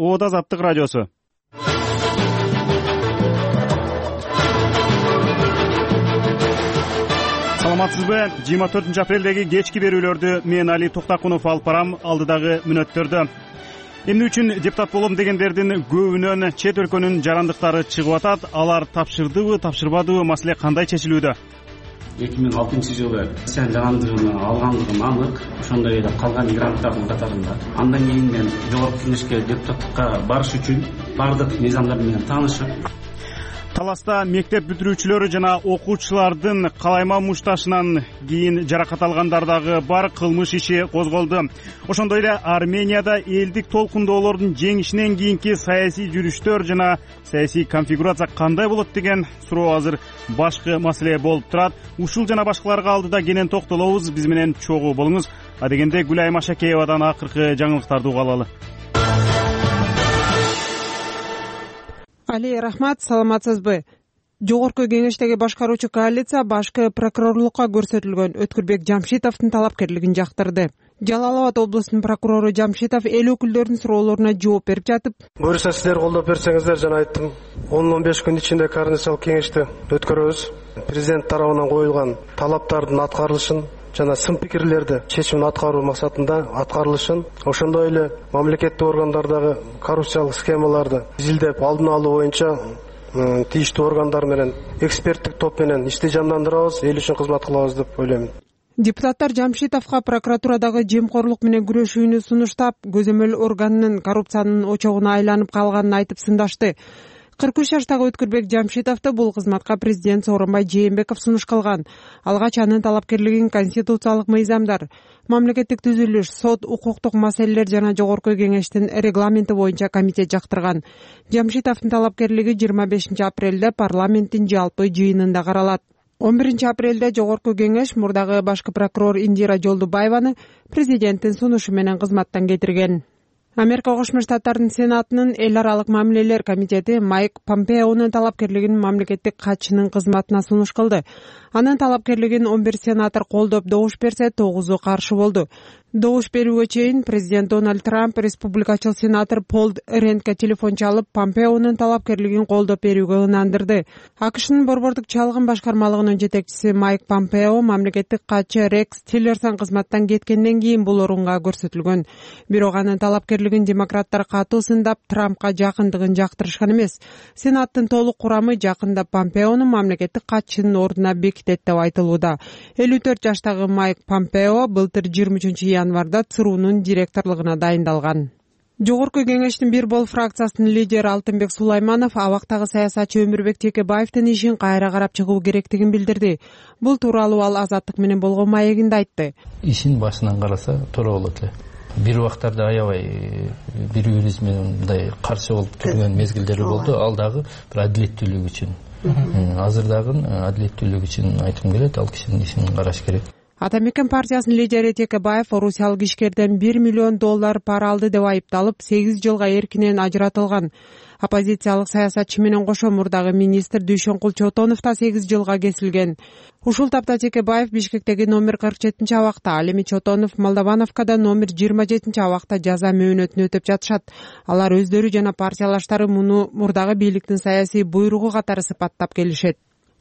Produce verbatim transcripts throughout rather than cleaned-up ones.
Оот Азаттык радиосу. Саламатсызбы? жыйырма төртүнчү апрелдеги кечки берүүлөрдү мен Али Токтакунов алып барам. Алдыдагы мүнөттөрдө эмне үчүн депутат болом дегендердин көбүнөн чет өлкөнүн жарандыктары чыгып атат. Алар тапшырдыбы, тапшырбадыбы, маселе кандай чечилүүдө? эки миң алтынчы жылы сен жарандыгын алгандыгым анык. Ошондой эле калган мигранттардын катарында. Андан кийин мен жогорку кеңешке депутаттыкка барыш үчүн бардык мыйзамдар менен таанышып, Таласта мектеп бүтүрүүчүлөрү жана окуучулардын калайма мушташынан кийин жаракат алгандардагы бар кылмыш иши козголду. Ошондой эле Арменияда элдик толкундоолордун жеңишинен кийинки саясий жүрүштөр жана саясий конфигурация кандай болот деген суроо азыр башкы маселе болуп турат. Ушул жана башкаларга алдыда кенен токтолобуз. Биз менен чогуу болуңуз. Адегенде Гүлайым Ашакеевадан акыркы жаңылыктарды угалы алалы. Али, рахмат, саламатсызбы? Жогорку кеңештеги башкаруучу коалиция башкы прокурорлукка көрсөтүлгөн Өткүрбек Жамшитовдун талапкерлигин жактырды. Жалал Абад облусунун прокурору Жамшитов эл өкүлдөрүнүн суроолоруна жооп берип жатып, буюрса сиздер колдоп берсеңиздер, жана айттым, он он беш күн ичинде координациялык кеңешти өткөрөбүз. Президент тарабынан коюлган талаптардын аткарылышын жана сын пикирлерди чечимин аткаруу максатында аткарылышын, ошондой эле мамлекеттик органдардагы коррупциялык схемаларды изилдеп алдын алуу боюнча тийиштүү органдар менен эксперттик топ менен ишти жандандырабыз, эл үчүн кызмат кылабыз деп ойлойм. Депутаттар Жамшитовго прокуратурадагы жемкорлук менен күрөшүүнү сунуштап, көзөмөл органынын коррупциянын очогуна айланып калганын айтып сындашты. кырк үч жаштагы Өткүрбек Жамшитовду бул кызматка президент Сооронбай Жээнбеков сунуш кылган. Алгач анын талапкерлигин конституциялык мыйзамдар, мамлекеттик түзүлүш, сот, укуктук маселелер жана жогорку кеңештин регламенти боюнча комитет жактырган. Жамшитовдун талапкерлиги жыйырма бешинчи апрелде парламенттин жалпы жыйынында каралат. он биринчи апрелде жогорку кеңеш мурдагы башкы прокурор Индира Жолдубаеваны президенттин сунушу менен кызматтан кетирген. Америка Кошмо Штаттарынын Сенатынын эл аралык мамилелер комитети Майк Помпеонун талапкерлигин мамлекеттик катчынын кызматына сунуш кылды. Анын талапкерлигин он бир сенатор колдоп добуш берсе, тогузу каршы болду. Добуш берүүгө чейин президент Дональд Трамп республикачыл сенатор Пол Рентке телефон чалып, Помпеонун талапкерлигин колдоп берүүгө ынандырды. АКШнын борбордук чалгын башкармалыгынын жетекчиси Майк Помпео мамлекеттик катчы Рекс Тиллерсон кызматтан кеткенден кийин бул орунга көрсөтүлгөн. Бирок анын талапкерлигин демократтар катуу сындап, Трампка жакындыгын жактырышкан эмес. Сенаттын толук курамы жакында Помпеонун мамлекеттик катчынын ордуна бекитет деп айтылууда. элүү төрт жаштагы Майк Помпео былтыр жыйырма үчүнчү январда ЦРУнун директорлугуна дайындалган. Жогорку кеңештин бир бол фракциясынын лидери Алтынбек Сулайманов абактагы саясатчы Өмүрбек Текебаевдин ишин кайра карап чыгуу керектигин билдирди. Бул тууралуу ал Азаттык менен болгон маегинде айтты. Ишин башынан караса туура болот эле. Бир убактарда аябай бири-бирибиз менен мындай каршы болуп жүргөн мезгилдери болду. Ал дагы бир адилеттүүлүк үчүн. Азыр дагы адилеттүүлүк үчүн айтым келет, ал кишинин ишин караш керек. Атамекен партиясынын лидери Текебаев орусиялык ишкерден бир миллион доллар пара алды деп айыпталып, сегиз жылга эркинен ажыратылган. Оппозициялык саясатчы менен кошо мурдагы министр Дүйшөнкул Чотонов да сегиз жылга кесилген. Ушул тапта Текебаев Бишкектеги номер кырк жетинчи абакта, ал эми Чотонов Молдовановкада номер жыйырма жетинчи абакта жаза мөөнөтүн өтөп жатышат. Алар өздөрү жана партиялаштары муну мурдагы бийликтин саясий буйругу катары сыпаттап келишет.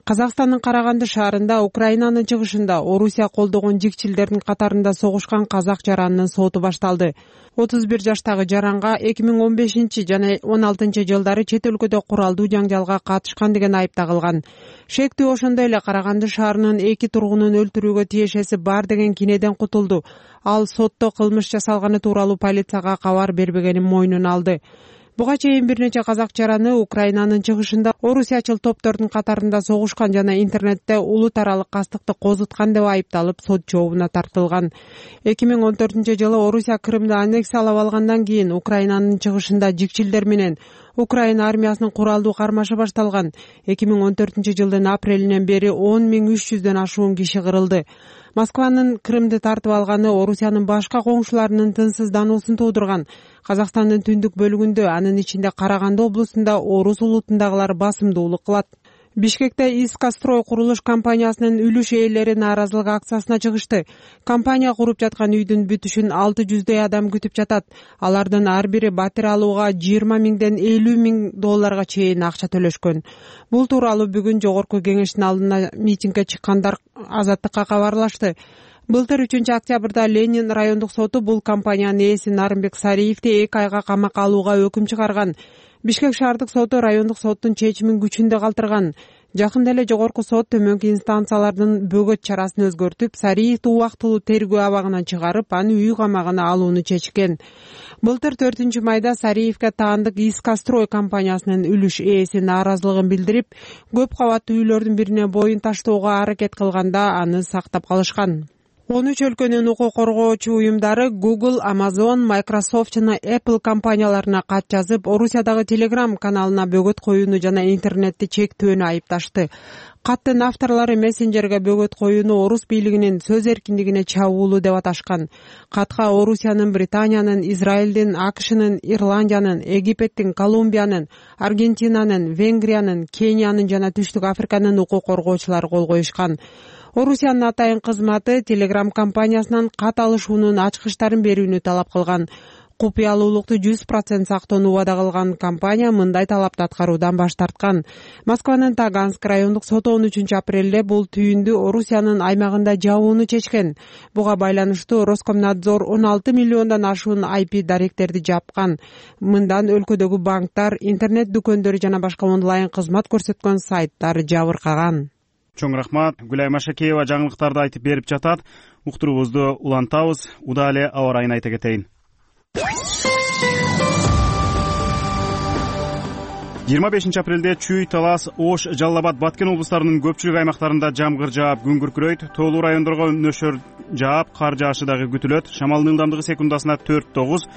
Казакстандын Караганды шаарында, Украинанын чыгышында Орусия колдогон жикчилдердин катарында согушкан казак жаранынын соту башталды. отуз бир жаштагы жаранга эки миң он бешинчи жана он алтынчы жылдары чет өлкөдө куралдуу жаңжалга катышкан деген айып тагылган. Шектүү ошондой эле Караганды шаарынын эки тургунун өлтүрүүгө тиешеси бар деген кинеден кутулду. Ал сотто кылмыш жасалганы тууралуу полицияга кабар бербегенин мойнуна алды. Буга чейин бир нече казак жараны Украинанын чыгышында орусиячыл топтордун катарында согушкан жана интернетте улут аралык кастыкты козуткан деп айыпталып сот жообуна тартылган. эки миң он төртүнчү жылы Орусия Крымды аннексиялап алгандан кийин Украинанын чыгышында жикчилдер менен Украина армиясынын куралдуу кармашы башталган. эки миң он төртүнчү жылдын апрелинен бери он миң үч жүздөн ашуун киши кырылды. Москванын Крымды тартып алганы Орусиянын башка коңшуларынын тынчсыздануусун туудурган. Казакстандын түндүк бөлүгүндө, анын ичинде Караганды облусунда орус улутундагылар басымдуулук кылат. Бишкекте Искастрой курулуш компаниясынын үлүш ээлери нааразылык акциясына чыгышты. Компания куруп жаткан үйдүн бүтүшүн алты жүздөй адам күтүп жатат. Алардын ар бири батир алууга жыйырма миңден элүү миң долларга чейин акча төлөшкөн. Бул тууралуу бүгүн жогорку кеңештин алдына митингге чыккандар Азаттыкка кабарлашты. Былтыр үчүнчү октябрда Ленин райондук соту бул компаниянын ээси Нарымбек Сариевди эки айга камакка алууга өкүм чыгарган. Бишкек шаардык соту райондук соттун чечимин күчүндө калтырган. Жакында эле жогорку сот төмөнкү инстанциялардын бөгөт чарасын өзгөртүп, Сариевди убактылуу тергөө абагынан чыгарып, аны үй камагына алууну чечкен. Былтыр төртүнчү майда Сариевге таандык Искастрой компаниясынын үлүш ээси нааразылыгын билдирип, көп кабаттуу үйлөрдүн бирине боюн таштоого аракет кылганда аны сактап калышкан. он үч өлкөнүн укук коргоочу уюмдары Google, Amazon, Microsoft жана Apple компанияларына кат жазып, Орусиядагы Telegram каналына бөгөт коюуну жана интернетти чектөөнү айыпташты. Каттын авторлору мессенджерге бөгөт коюуну орус бийлигинин сөз эркиндигине чабуулуу деп аташкан. Катка Орусиянын, Британиянын, Израилдин, АКШнын, Ирландиянын, Египеттин, Колумбиянын, Аргентинанын, Венгриянын, Кениянын жана Түштүк Африканын укук коргоочулары кол коюшкан. Орусиянын атайын кызматы Telegram компаниясынан кат алышуунун ачкычтарын берүүнү талап кылган. Купуялуулукту жүз процент сактоону убада кылган компания мындай талапты аткаруудан баш тарткан. Москванын Таганск райондук соту он үчүнчү апрелде бул түйүндү Орусиянын аймагында жабууну чечкен. Буга байланыштуу Роскомнадзор он алты миллиондон ашуун ай пи даректерди жапкан. Мындан өлкөдөгү банктар, интернет дүкөндөрү жана башка онлайн кызмат көрсөткөн сайттар жабыркаган. Чоң рахмат. Гүлай Машакеева жаңылыктарды айтып берип жатат. Уктуруубузду улантабыз. Удаалы эле аба ырайын айта кетейин. жыйырма бешинчи апрелде Чүй, Талас, Ош, Жалал Абад, Баткен облустарынын көпчүлүк аймактарында жамгыр жаап, күн күркүрөйт. Тоолуу райондорго нөшөр жаап, кар жаашы дагы күтүлөт. Шамалдын ылдамдыгы секундасына төрт тогуз.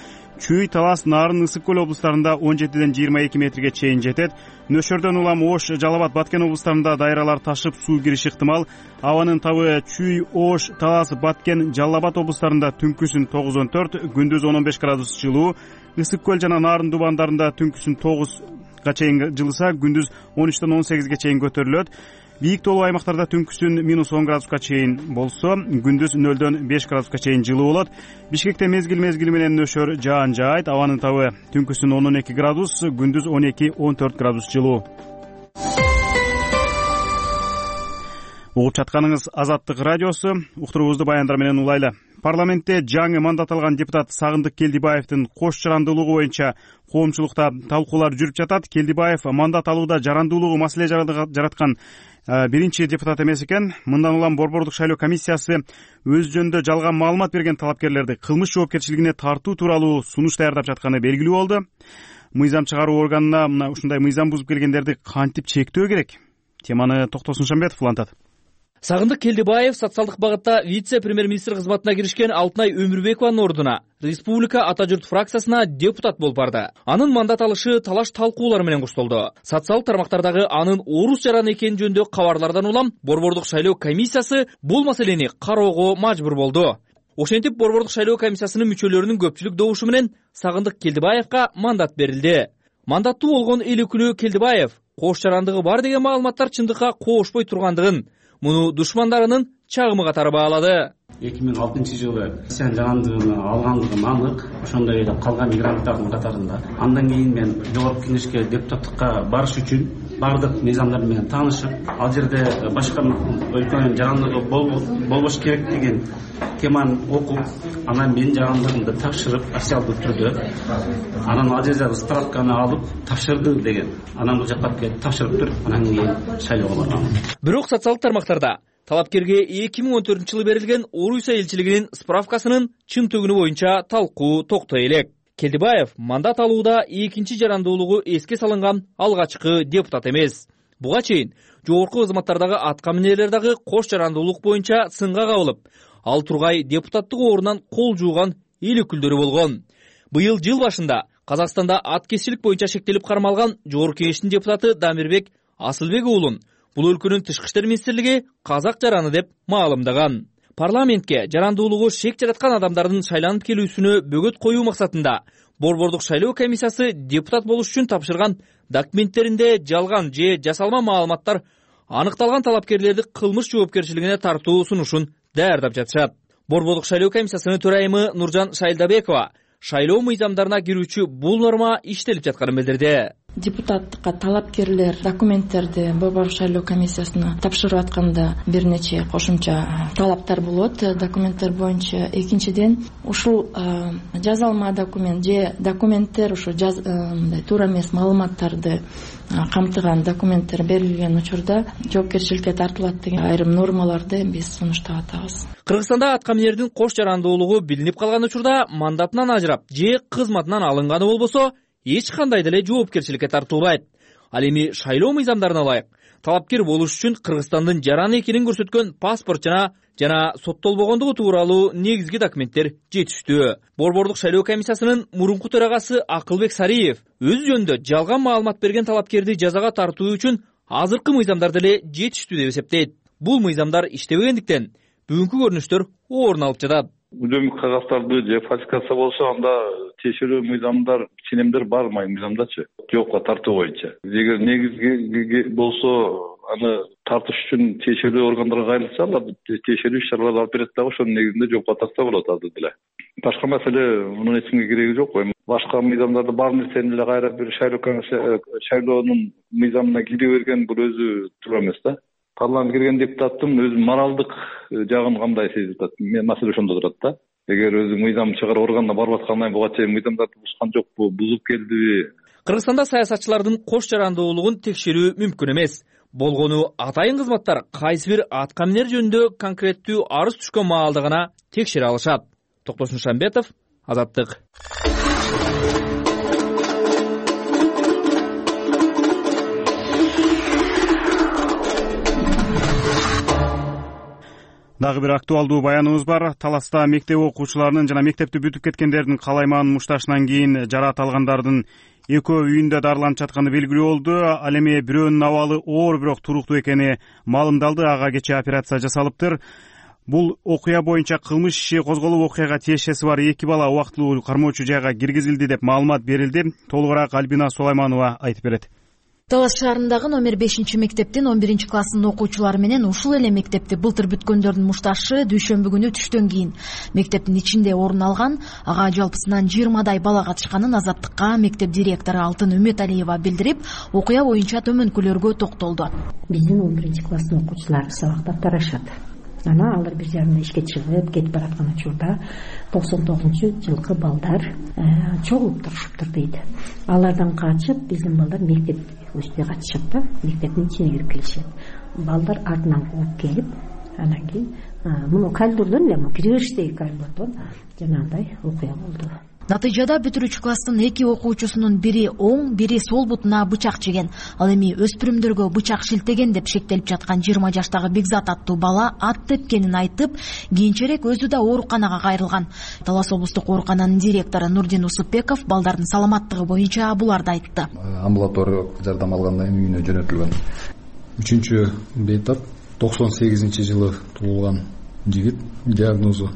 Чүй, Талас, Нарын, Ысык көл облустарында он жетиден жыйырма эки метрге чейин жетет. Нөшөрдөн улам Ош, Жалал Абад, Баткен облустарында дайралар ташып, суу кириши ыктымал. Абанын табы Чүй, Ош, Талас, Баткен, Жалал Абад облустарында түнкүсүн тогуз он төрт, күндүз он он беш градус жылуу. Ысык көл жана Нарын дубандарында түнкүсүн тогузга чейин жылыса, күндүз он үчтөн он сегизге чейин көтөрүлөт. Бийик тоолуу аймактарда түнкүсүн минус он градуска чейин болсо, күндүз нөлдөн беш градуска чейин жылуу болот. Бишкекте мезгил мезгили менен нөшөр жаан жаайт. Абанын табы түнкүсүн он он эки градус, күндүз он эки он төрт градус жылуу. Угуп жатканыңыз Азаттык радиосу. Уктуруубузду баяндар менен улайлы. Парламентте жаңы мандат алган депутат Сагындык Келдибаевдин кош жарандуулугу боюнча коомчулукта талкуулар жүрүп жатат. Келдибаев мандат алууда жарандуулугу маселе жараткан биринчи депутат эмес экен. Мындан улам Борбордук шайлоо комиссиясы өз жөнүндө жалган маалымат берген талапкерлерди кылмыш жоопкерчилигине тартуу тууралуу сунуш даярдап жатканы белгилүү болду. Мыйзам чыгаруу органына мына ушундай мыйзам бузуп келгендерди кантип чектөө керек? Теманы Токтосун Шамбетов улантат. Сагындык Келдибаев социалдык багытта вице-премьер-министр кызматына киришкен Алтынай Өмүрбекованын ордуна Республика Ата журт фракциясына депутат болуп барды. Анын мандат алышы талаш талкуулар менен коштолду. Социалдык тармактардагы анын орус жараны экени жөнүндө кабарлардан улам Борбордук шайлоо комиссиясы бул маселени кароого мажбур болду. Ошентип Борбордук шайлоо комиссиясынын мүчөлөрүнүн көпчүлүк добушу менен Сагындык Келдибаевга мандат берилди. Мандаттуу болгон эл өкүлү Келдибаев кош жарандыгы бар деген маалыматтар чындыкка коошпой тургандыгын, муну душмандарынын чагымы катары баалады. эки миң алтынчы жылы сен жарандыгын алгандыгым анык. Ошондой эле калган мигранттардын катарында. Андан кийин мен жогорку кеңешке депутаттыкка барыш үчүн бардык мыйзамдар менен таанышып, ал жерде башка өлкөнүн жарандыгы болбош керек деген теманы окуп, анан мен жарандыгымды тапшырып, официалдуу түрдө, анан ал жерде справканы алып тапшырды деген. Анан бул жакка келип тапшырып туруп, анан кийин шайлоого баргам. Бирок социалдык тармактарда талапкерге эки миң он төртүнчү жылы берилген Орусия элчилигинин справкасынын чын төгүнү боюнча талкуу токтой элек. Келдибаев мандат алууда экинчи жарандуулугу эске салынган алгачкы депутат эмес. Буга чейин жогорку кызматтардагы атка минерлер дагы кош жарандуулук боюнча сынга кабылып, ал тургай депутаттык орунан кол жууган эл өкүлдөрү болгон. Быйыл жыл башында Казакстанда аткезчилик боюнча шектелип кармалган жогорку кеңештин депутаты Дамирбек Асылбек уулун бул өлкөнүн тышкы иштер министрлиги казак жараны деп маалымдаган. Парламентке жарандуулугу шек жараткан адамдардын шайланып келүүсүнө бөгөт коюу максатында Борбордук шайлоо комиссиясы депутат болуш үчүн тапшырган документтеринде жалган же жасалма маалыматтар аныкталган талапкерлерди кылмыш жоопкерчилигине тартуу сунушун даярдап жатышат. Борбордук шайлоо комиссиясынын төрайымы Нуржан Шайлдабекова шайлоо мыйзамдарына кирүүчү бул норма иштелип жатканын билдирди. Депутаттыкка талапкерлер документтерди Борбордук шайлоо комиссиясына тапшырып атканда бир нече кошумча талаптар болот документтер боюнча. Экинчиден, ушул жазалма документ же документтер ушу мындай туура эмес маалыматтарды камтыган документтер берилген учурда жоопкерчиликке тартылат деген айрым нормаларды биз сунуштап атабыз. Кыргызстанда аткаминердин кош жарандуулугу билинип калган учурда мандатынан ажырап же кызматынан алынганы болбосо эч кандай деле жоопкерчиликке тартылбайт. Ал эми шайлоо мыйзамдарына ылайык талапкер болуш үчүн Кыргызстандын жаран экенин көрсөткөн паспорт жана жана соттолбогондугу тууралуу негизги документтер жетиштүү. Борбордук шайлоо комиссиясынын мурунку төрагасы Акылбек Сариев өз жөнүндө жалган маалымат берген талапкерди жазага тартуу үчүн азыркы мыйзамдар деле жетиштүү деп эсептейт. Бул мыйзамдар иштебегендиктен бүгүнкү көрүнүштөр орун алып жатат. Үдөмүк кагаздарды же фальсификация болсо анда тиешелүү мыйзамдар, ченемдер бар мыйзамдачы жоопко тартуу боюнча. Эгер негизги болсо аны тартыш үчүн тиешелүү органдарга кайрылса, алар тиешелүү иш-чараларды алып берет дагы ошонун негизинде жоопко тартса болот азыр деле. Башка маселе мунун эчимге кереги жок. Башка мыйзамдарды бар нерсени эле кайра бир шайлоо шайлоонун мыйзамына кире берген бул өзү туура эмес да. Парламентке кирген депутаттын өз моралдык жагын кандай сезип атат? Мен маселе ошондо турат да. Эгер өзү мыйзам чыгаруу органына барып аткандан буга чейин мыйзамдарды бузган жокпу, бузуп келдиби? Кыргызстанда саясатчылардын кош жарандуулугун текшерүү мүмкүн эмес. Болгону атайын кызматтар кайсы бир аткаминер жөнүндө конкреттүү арыз түшкөн маалда гана текшере алышат. Токтосун Шамбетов, Азаттык. Дагы бир актуалдуу баяныбыз бар. Таласта мектеп окуучуларынын жана мектепти бүтүп кеткендердин калайман мушташынан кийин жараат алгандардын экөө үйүндө дарыланып жатканы белгилүү болду. Ал эми бирөөнүн абалы оор бирок туруктуу экени маалымдалды. Ага кечээ операция жасалыптыр. Бул окуя боюнча кылмыш иши козголуп, окуяга тиешеси бар эки бала убактылуу кармоочу жайга киргизилди деп маалымат берилди. Толугураак Альбина Сулайманова айтып берет. Талас шаарындагы номер бешинчи мектептин он биринчи класстын окуучулары менен ушул эле мектепти былтыр бүткөндөрдүн мушташы дүйшөмбү күнү түштөн кийин мектептин ичинде орун алган. Ага жалпысынан жыйырмадай бала катышканын Азаттыкка мектеп директору Алтын Үмөталиева билдирип, окуя боюнча төмөнкүлөргө токтолду. Биздин он биринчи класстын окуучулары сабактап тарашат. Анан алар бир жарымда ишке чыгып кетип бараткан учурда токсон тогузунчу жылкы балдар чогулуп турушуптур дейт. Алардан качып биздин балдар мектеп өстүнө катышат да, мектептин ичине кирип келишет. Балдар артынан кууп келип, анан кийин муну коридордон эле киребериштеги коридордон жанагындай окуя болду. Натыйжада бүтүрүүчү класстын эки окуучусунун бири оң, бири сол бутуна бычак жеген. Ал эми өспүрүмдөргө бычак шилтеген деп шектелип жаткан жыйырма жаштагы Бекзат аттуу бала ат тепкенин айтып, кийинчерээк өзү да ооруканага кайрылган. Талас облустук оорукананын директору Нурдин Усупбеков балдардын саламаттыгы боюнча буларды айтты. Амбулаториялык жардам алгандан кийин үйүнө жөнөтүлгөн. Үчүнчү бейтап токсон сегизинчи жылы туулган жигит, диагнозу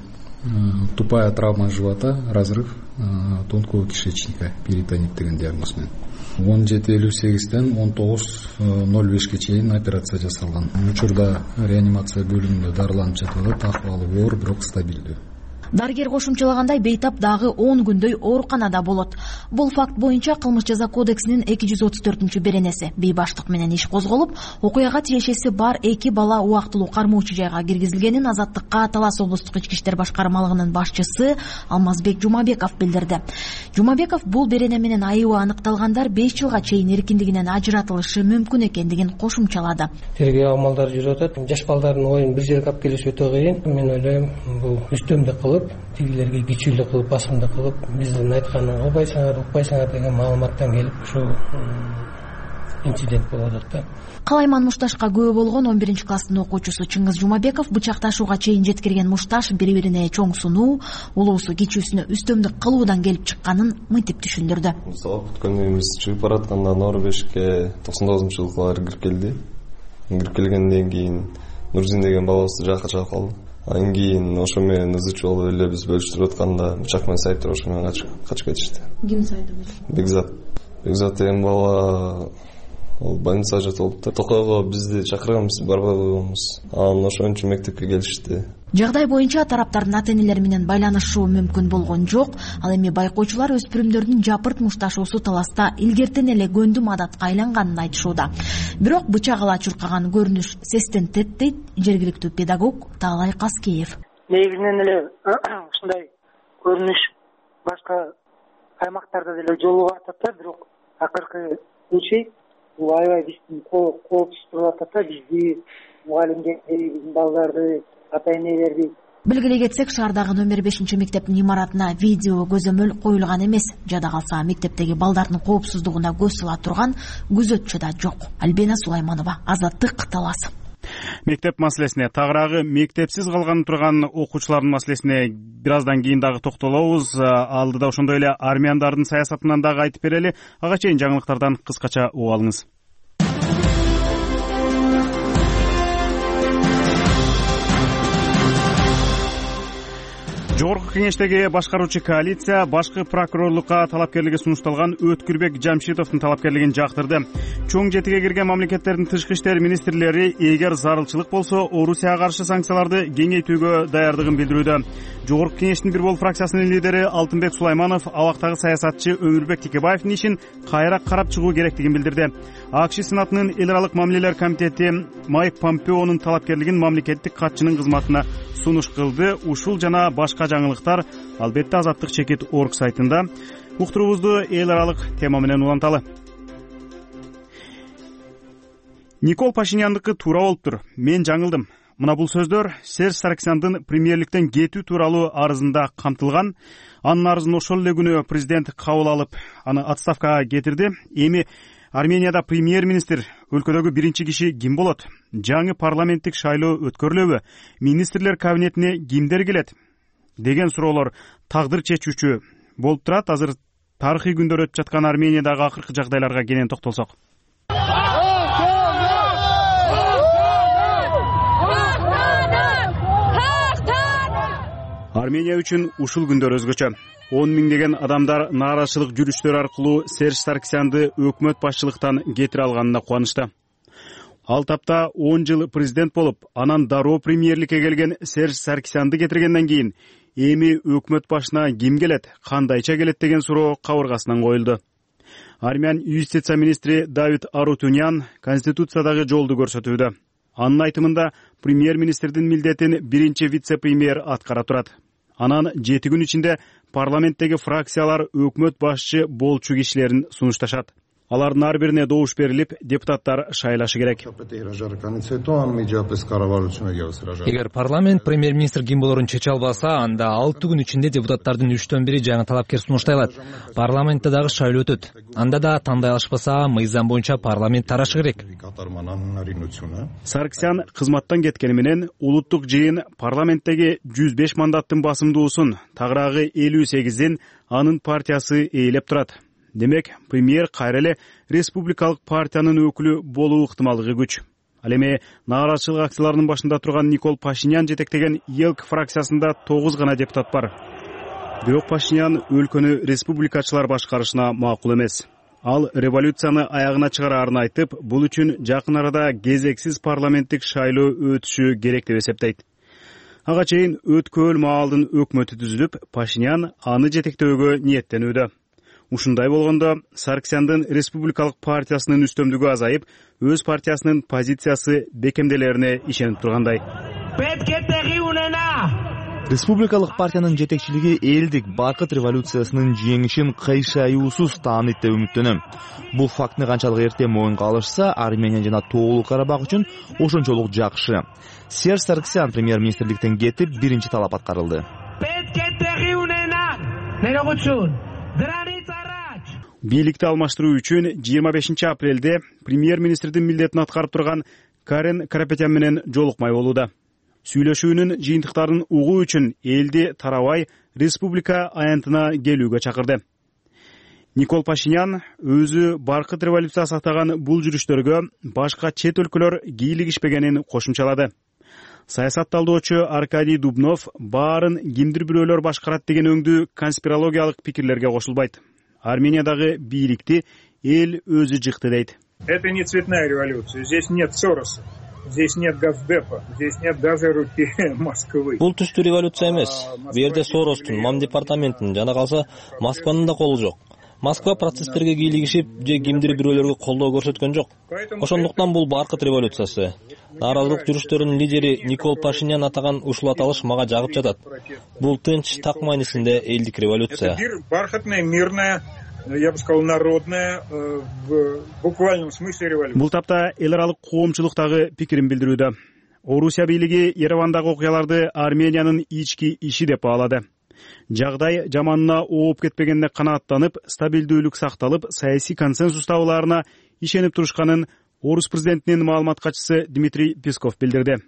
тупая травма живота, разрыв тонкого кишечника, перитонит деген диагноз менен. он жети элүү сегизден он тогуз ноль бешке чейин операция жасалган. Учурда реанимация бөлүмүндө дарыланып жатып атат, акыбалы оор, бирок стабилдүү. Дарыгер кошумчалагандай бейтап дагы он күндөй ооруканада болот. Бул факт боюнча кылмыш жаза кодексинин эки жүз отуз төртүнчү беренеси бейбаштык менен иш козголуп, окуяга тиешеси бар эки бала убактылуу кармоочу жайга киргизилгенин Азаттыкка Талас облустук ички иштер башкармалыгынын башчысы Алмазбек Жумабеков билдирди. Жумабеков бул берене менен айыбы аныкталгандар беш жылга чейин эркиндигинен ажыратылышы мүмкүн экендигин кошумчалады. Тергөө амалдары жүрүп атат. Жаш балдардын оюн бир жерге алып келиш өтө кыйын. Мен ойлойм, бул үстөмдүк кылып, тигилерге күчүлүк кылып, басымдык кылып, биздин айтканын укпайсыңар, укпайсыңар деген маалыматтан келип ушу инцидент болуп атат да. Калайман мушташка күбө болгон он биринчи класстын окуучусу Чыңгыз Жумабеков бычакташууга чейин жеткирген мушташ бири-бирине чоң сунуу, улуусу кичүүсүнө үстөмдүк кылуудан келип чыкканын мынтип түшүндүрдү. Сабак бүткөндө чыгып баратканда нор бешке токсон тогузунчу жылкылар кирип келди. Кирип келгенден кийин Нурзин деген балабызды жакка чыгып калды. Анан кийин ошо менен ызычы болуп эле биз бөлүштүрүп атканда бычак менен сайыптар ошо менен качып кетишти. Ким сайды? Бекзат. Бекзат деген бала ол больницада жатып алыптыр. Токойго бизди чакырган, биз барбай койгонбуз. Анан ошон үчүн мектепке келишти. Жагдай боюнча тараптардын ата-энелери менен байланышуу мүмкүн болгон жок. Ал эми байкоочулар өспүрүмдөрдүн жапырт мушташуусу таласта илгертен эле көндүм адатка айланганын айтышууда. Бирок бычак ала чуркаган көрүнүш сестентет дейт жергиликтүү педагог Таалай Каскеев. Негизинен эле ушундай көрүнүш башка аймактарда деле жолугуп атат да, бирок акыркы случай бул аябай биздин коопсуз туруп атат да, бизди, мугалимдерди, биздин балдарды, ата-энелерди. Белгилей кетсек, шаардагы номер бешинчи мектептин имаратына видео көзөмөл коюлган эмес. Жада калса мектептеги балдардын коопсуздугуна көз сала турган күзөтчү да жок. Альбина Сулайманова, Азаттык, Талас. Мектеп маселесине, тагыраагы мектепсиз калган турган окуучулардын маселесине бир аздан кийин дагы токтолобуз. Алдыда ошондой эле армяндардын саясатынан дагы айтып берели. Ага чейин жаңылыктардан кыскача угуп алыңыз. Жогорку кеңештеги башкаруучу коалиция башкы прокурорлукка талапкерлиги сунушталган Өткүрбек Жамшитовдун талапкерлигин жактырды. Чоң жетиге кирген мамлекеттердин тышкы иштер министрлери эгер зарылчылык болсо Орусияга каршы санкцияларды кеңейтүүгө даярдыгын билдирүүдө. Жогорку кеңештин бир бол фракциясынын лидери Алтынбек Сулайманов абактагы саясатчы Өмүрбек Текебаевдин ишин кайра карап чыгуу керектигин билдирди. АКШ Сенатынын эл аралык мамилелер комитети Майк Помпеонун талапкерлигин мамлекеттик катчынын кызматына сунуш кылды. Ушул жана башка жаңылыктар албетте Азаттык чекит орг сайтында. Уктуруубузду эл аралык тема менен уланталы. Никол Пашиняндыкы туура болуптур. Мен жаңылдым. Мына бул сөздөр Серж Саркисяндын премьерликтен кетүү тууралуу арызында камтылган. Анын арызын ошол эле күнү президент кабыл алып, аны отставкага кетирди. Эми Арменияда премьер-министр өлкөдөгү биринчи киши ким болот? Жаңы парламенттик шайлоо өткөрүлөбү? Министрлер кабинетине кимдер келет? Деген суроолор тагдыр чечүүчү болуп турат. Азыр тарыхый күндөр өтүп жаткан Армениядагы акыркы жагдайларга кенен токтолсок. Армения үчүн ушул күндөр өзгөчө. он миңдеген адамдар нааразычылык жүрүштөр аркылуу Серж Саркисянды өкмөт башчылыктан кетире алганына кубанычта. Ал тапта он жыл президент болуп, анан дароо премьерликке келген Серж Саркисянды кетиргенден кийин эми өкмөт башына ким келет, кандайча келет деген суроо кабыргасынан коюлду. Армян юстиция министри Давид Арутунян конституциядагы жолду көрсөтүүдө. Анын айтымында премьер-министрдин милдетин биринчи вице-премьер аткара турат. Анан жети күн ичинде парламенттеги фракциялар өкмөт башчы болчу кишилерин сунушташат. Алардын ар бирине добуш берилип, депутаттар шайлашы керек. Эгер парламент премьер-министр ким болорун чече албаса, анда алты күн ичинде депутаттардын үчтөн бири жаңы талапкер сунуштай алат. Парламентте дагы шайлоо өтөт. Анда да тандай алышпаса, мыйзам боюнча парламент тарашы керек. Саркисян кызматтан кеткени менен улуттук жыйын парламенттеги жүз беш мандаттын басымдуусун, тагыраагы элүү сегиздин анын партиясы ээлеп турат. Демек, премьер кайра эле республикалык партиянын өкүлү болуу ыктымалдыгы күч. Ал эми нааразычылык акцияларынын башында турган Никол Пашинян жетектеген ЕЛК фракциясында тогуз гана депутат бар. Бирок Пашинян өлкөнү республикачылар башкарышына макул эмес. Ал революцияны аягына чыгараарын айтып, бул үчүн жакын арада кезексиз парламенттик шайлоо өтүшү керек деп эсептейт. Ага чейин өткөөл маалдын өкмөтү түзүлүп, Пашинян аны жетектөөгө ниеттенүүдө. Ушундай болгондо Саркисяндын республикалык партиясынын үстөмдүгү азайып, өз партиясынын позициясы бекемделерине ишенип тургандай. Республикалык партиянын жетекчилиги элдик баркыт революциясынын жеңишин кыйшаюусуз тааныйт деп үмүттөнөм. Бул фактыны канчалык эрте моюнга алышса, Армения жана Тоолук Карабак үчүн ошончолук жакшы. Серж Саркисян премьер-министрликтен кетип, биринчи талап аткарылды. Бийликти алмаштыруу үчүн жыйырма бешинчи апрелде премьер-министрдин милдетин аткарып турган Карен Карапетян менен жолукмай болууда. Сүйлөшүүнүн жыйынтыктарын угуу үчүн элди тарабай республика аянтына келүүгө чакырды. Никол Пашинян өзү баркыт революциясы атаган бул жүрүштөргө башка чет өлкөлөр кийлигишпегенин кошумчалады. Саясатталдоочу Аркадий Дубнов баарын кимдир бирөөлөр башкарат деген өңдүү конспирологиялык пикирлерге кошулбайт. Армениядагы бийликти эл өзү жыкты дейт. Это не цветная революция. Здесь нет Сороса. Здесь нет Газдепа, здесь нет даже руки Москвы. Бул түштүү революция эмес. Бул жерде Соростун, Мам департаментинин жана калса Москванын да колу жок. Москва процесстерге кийлигишип же кимдир бирөөлөргө колдоо көрсөткөн жок. Ошондуктан бул баркыт революциясы. Нааразылык жүрүштөрүнүн лидери Никол Пашинян атаган ушул аталыш мага жагып жатат. Бул тынч, так маанисинде элдик революция. Это бархатная, мирная, я бы сказал, народная, в буквальном смысле революция. Бул тапта эл аралык коомчулуктагы пикирин билдирүүдө. Орусия бийлиги Еревандагы окуяларды Армениянын ички иши деп баалады. Жагдай жаманына ооп кетпегенине канааттанып, стабилдүүлүк сакталып, саясий консенсус табууларына ишенип турушканын Орус президентинин маалымат катчысы Дмитрий Песков билдирди.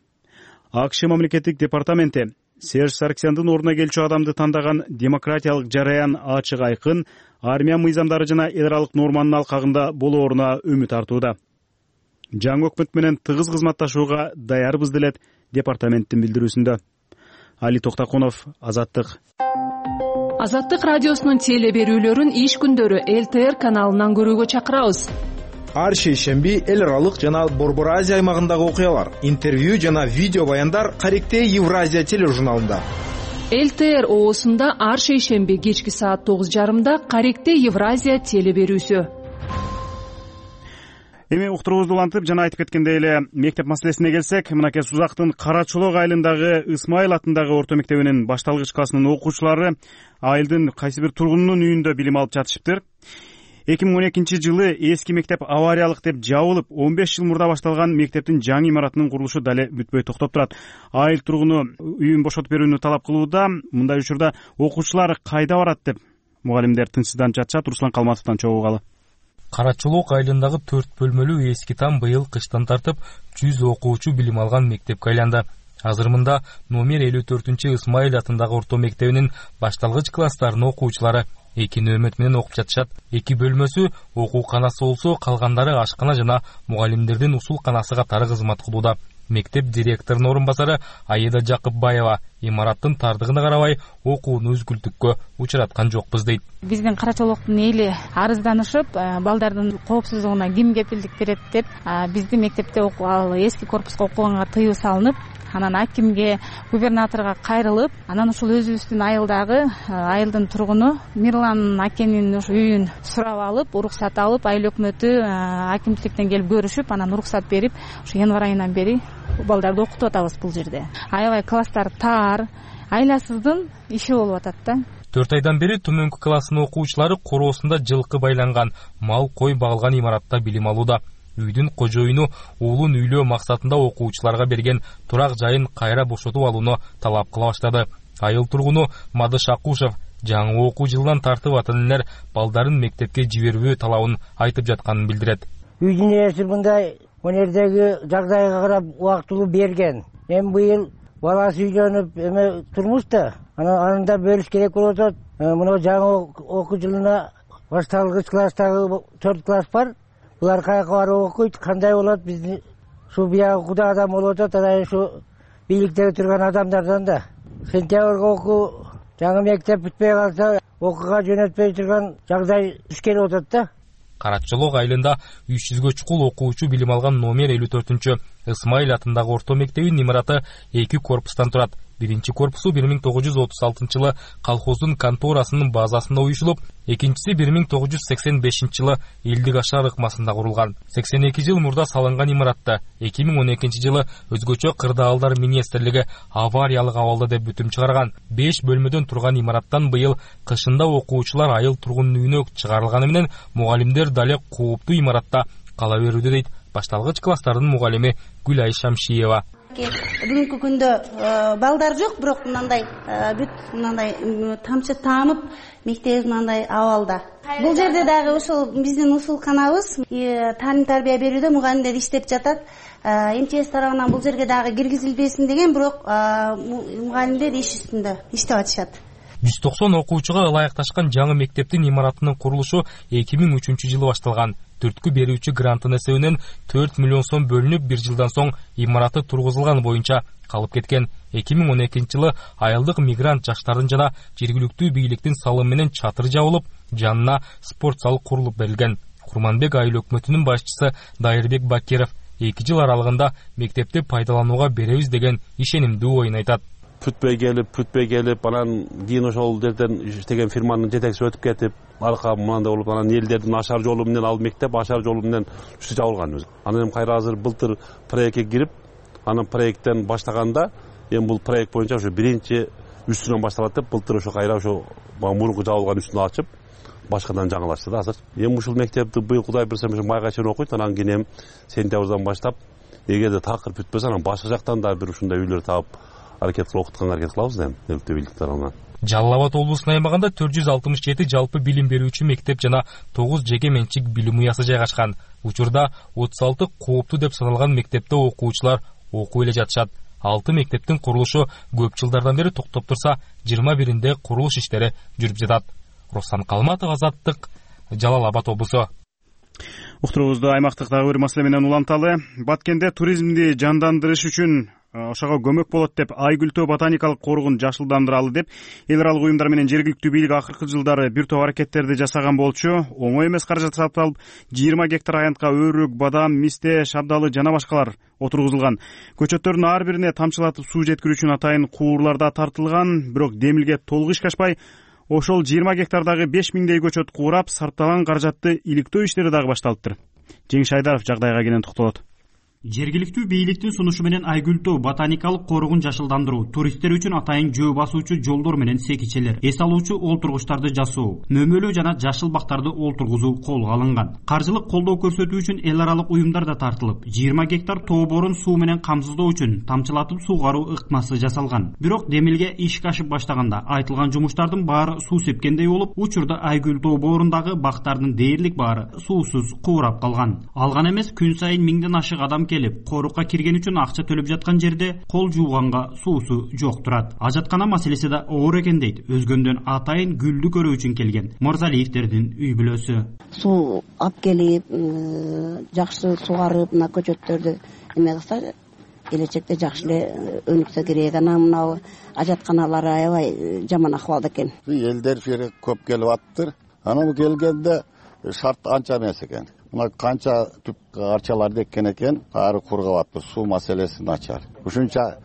АКШ мамлекеттик департаменти Серж Саркисяндын ордуна келчү адамды тандаган демократиялык жараян ачык айкын, армия мыйзамдары жана эл аралык норманын алкагында болооруна үмүт артууда. Жаңы өкмөт менен тыгыз кызматташууга даярбыз делет департаменттин билдирүүсүндө. Али Токтакунов, Азаттык. Азаттык радиосунун теле берүүлөрүн иш күндөрү эл тэ эр каналынан көрүүгө чакырабыз. Ар шейшемби эл аралык жана Борбор Азия аймагындагы окуялар, интервью жана видео баяндар Каректе Евразия тележурналында. эл тэ эр оосунда ар шейшемби кечки саат тогуз жарымда Каректе Евразия теле берүүсү. Эми уктуруубузду улантып жана айтып кеткендей эле мектеп маселесине келсек, мынакей Сузактын Кара Чолок айылындагы Ысмайыл атындагы орто мектебинин башталгыч классынын окуучулары айылдын кайсы бир тургунунун үйүндө билим алып жатышыптыр. эки миң он экинчи жылы эски мектеп авариялык деп жабылып, он беш жыл мурда башталган мектептин жаңы имаратынын курулушу дале бүтпөй токтоп турат. Айыл тургуну үйүн бошотуп берүүнү талап кылууда. Мындай учурда окуучулар кайда барат деп мугалимдер тынчсызданып жатышат. Руслан Калматовдон чогуу. Кара Чолок айылындагы төрт бөлмөлүү эски там быйыл кыштан тартып жүз окуучу билим алган мектепке айланды. Азыр мында номер элүү төртүнчү Ысмайыл атындагы орто мектебинин башталгыч класстарынын окуучулары эки нөөмөт менен окуп жатышат. Эки бөлмөсү окууканасы болсо, калгандары ашкана жана мугалимдердин усул канасы катары кызмат кылууда. Мектеп директорунун орун басары Аида Жакыпбаева имараттын тардыгына карабай окууну үзгүлтүккө учураткан жокпуз дейт. Биздин Кара Чолоктун эли арызданышып, балдардын коопсуздугуна ким кепилдик берет деп, биздин мектепте ал эски корпуска окуганга тыюу салынып, анан акимге, губернаторго кайрылып, анан ушул өзүбүздүн айылдагы айылдын тургуну Мирлан акенин үйүн сурап алып, уруксат алып, айыл өкмөтү акимчиликтен келип көрүшүп, анан уруксат берип, ушу январь айынан бери балдарды окутуп атабыз бул жерде. Аябай класстар таар, айласыздын иши болуп атат да. төрт айдан бери төмөнкү класстын окуучулары короосунда жылкы байланган, мал кой багылган имаратта билим алууда. Үйдүн кожоюну уулун үйлөө максатында окуучуларга берген турак жайын кайра бошотуп алууну талап кыла баштады. Айыл тургуну Мадыш Акушев жаңы окуу жылынан тартып ата-энелер балдарын мектепке жиберүү талабын айтып жатканын билдирет. Үйдүн ээси мындай өнердеги жагдайга карап убактылуу берген. Эми быйыл баласы үйлөнүп эме турмушта, анан анында бөлүш керек болуп атат. Мына жаңы окуу жылына башталгыч класстагы төрт класс бар. Булар каяка барып окуйт, кандай болот, биздин ушу биягы куда адам болуп атат, анан ушу бийликтеги турган адамдардан да. Сентябрга окуу жаңы мектеп бүтпөй калса, окууга жөнөтпөй турган жагдай туш келип атат да. Кара Чолок айылында үч жүзгө чукул окуучу билим алган номер элүү төртүнчү Ысмайыл атындагы орто мектебинин имараты эки корпустан турат. Биринчи корпусу бир миң тогуз жүз отуз алтынчы жылы колхоздун конторасынын базасында уюшулуп, экинчиси бир миң тогуз жүз сексен бешинчи жылы Элдик Ашар ыкмасында курулган. сексен эки жыл мурда салынган имаратта эки миң он экинчи жылы өзгөчө кырдаалдар министрлиги авариялык абалда деп бүтүм чыгарган. беш бөлмөдөн турган имараттан быйыл кышында окуучулар айыл тургунун үйүнө чыгарылганы менен мугалимдер дале кооптуу имаратта кала берүүдө дейт башталгыч класстардын мугалими Гүлай Шамшиева. Бүгүнкү күндө балдар жок, бирок мындай бүт мындай тамчы таанып мектебибиз мындай абалда. Бул жерде дагы ошол биздин усулканабыз таалим тарбия берүүдө мугалимдер иштеп жатат. эм че эс тарабынан бул жерге дагы киргизилбесин деген, бирок мугалимдер иш үстүндө иштеп атышат. жүз токсон окуучуга ылайыкташкан жаңы мектептин имаратынын курулушу эки миң үчүнчү жылы башталган. Түрткү берүүчү гранттын эсебинен төрт миллион сом бөлүнүп, бир жылдан соң имараты тургузулган боюнча калып кеткен. эки миң он экинчи жылы айылдык мигрант жаштардын жана жергиликтүү бийликтин салымы менен чатыр жабылып, жанына спорт зал курулуп берилген. Курманбек айыл өкмөтүнүн башчысы Дайырбек Бакиров эки жыл аралыгында мектепти пайдаланууга беребиз деген ишенимдүү оюн айтат. Бүтпөй келип, бүтпөй келип, анан кийин ошол жерден иштеген фирманын жетекчиси өтүп кетип, арка мындай болуп, анан элдердин ашар жолу менен ал мектеп ашар жолу менен үстү жабылган. Анан эми кайра азыр былтыр проектке кирип, анан проекттен баштаганда, эми бул проект боюнча ошо биринчи үстүнөн башталат деп, былтыр ошо кайра ошо мурунку жабылган үстүн ачып, башкадан жаңылашты да азыр. Эми ушул мектепти быйыл Кудай берсе майга чейин окуйт, анан кийин эми сентябрдан баштап, эгерде такыр бүтпөсө, анан башка жактан да бир ушундай үйлөр таап аракет кылып окутканга аракет кылабыз эми өлкө бийлик тарабынан. Жалал Абад облусунун аймагында төрт жүз алтымыш жети жалпы билим берүүчү мектеп жана тогуз жеке менчик билим уясы жайгашкан. Учурда отуз алты кооптуу деп саналган мектепте окуучулар окуп эле жатышат. алты мектептин курулушу көп жылдардан бери токтоп турса, жыйырма биринде курулуш иштери жүрүп жатат. Руслан Калматов, Азаттык, Жалал Абад облусу. Уктуруубузду аймактык дагы бир маселе менен уланталы. Баткенде туризмди жандандырыш үчүн ошого көмөк болот деп Айгүлтөө ботаникалык коругун жашылдандыралы деп эл аралык уюмдар менен жергиликтүү бийлик акыркы жылдары бир топ аракеттерди жасаган болчу. Оңой эмес каражат сарпталып, жыйырма гектар аянтка өрүк, бадам, мисте, шабдалы жана башкалар отургузулган. Көчөттөрдүн ар бирине тамчылатып суу жеткирүү үчүн атайын куурлар да тартылган, бирок демилге толук ишкашпай, ошол жыйырма гектардагы беш миңдей көчөт куурап, сарпталган каражатты иликтөө иштери дагы башталыптыр. Жеңиш Айдаров жагдайга кенен токтолот. Жергиликтүү бийликтин сунушу менен Айгүлтөө ботаникалык коругун жашылдандыруу, туристтер үчүн атайын жөө басуучу жолдор менен секичелер, эс алуучу олтургучтарды жасоо, мөмөлүү жана жашыл бактарды олтургузуу колго алынган. Каржылык колдоо көрсөтүү үчүн эл аралык уюмдар да тартылып, жыйырма гектар тоо борун суу менен камсыздоо үчүн тамчылатып суугаруу ыкмасы жасалган. Бирок демилге ишке ашып баштаганда айтылган жумуштардын баары суу сепкендей болуп, учурда Айгүлтөө боорундагы бактардын дээрлик баары суусуз куурап калган. Алган эмес, күн сайын миңден ашык адам келип, корукка кирген үчүн акча төлөп жаткан жерде кол жууганга суусу жок турат. Ажаткана маселеси да оор экен дейт өзгөндөн атайын гүлдү көрүү үчүн келген Мырзалиевтердин үй бүлөсү. Суу алып келип, жакшы сугарып, мына көчөттөрдү эме кылса, келечекте жакшы эле өнүксө керек. Анан мына ажатканалар аябай жаман акыбалда экен. Элдер жери көп келип аттыр. Анан келгенде шарт анча эмес экен. Мына канча түп арчаларды эккен экен, ары кургап аттыр, суу маселеси начар. Ушунча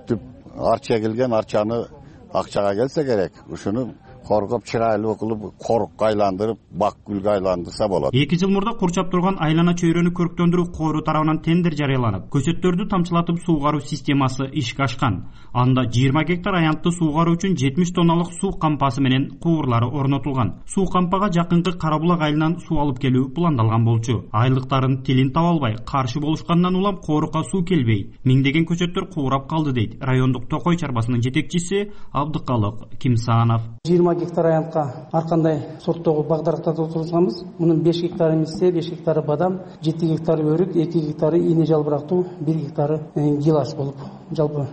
түп арча келген, арчаны акчага келсе керек. Ушуну коргоп, чырайлуу кылып, корукка айландырып, бак гүлгө айландырса болот. эки жыл мурда курчап турган айлана чөйрөнү көрктөндүрүү кору тарабынан тендер жарыяланып, көчөттөрдү тамчылатып суугаруу системасы ишке ашкан. Анда жыйырма гектар аянтты суугаруу үчүн жетимиш тонналык суу кампасы менен куурлары орнотулган. Суу кампага жакынкы Карабулак айылынан суу алып келүү пландалган болчу. Айылдыктардын тилин таба албай, каршы болушкандан улам корукка суу келбей, миңдеген көчөттөр куурап калды дейт райондук Токой чарбасынын жетекчиси Абдыкалык Кимсанов. жыйырма гектар аянтка ар кандай сорттогу багдарактарды отургузганбыз. Мунун беш гектары миссе, беш гектары бадам, жети гектары өрүк, эки гектары ийне жалбырактуу, бир гектары гилаш болуп, жалпы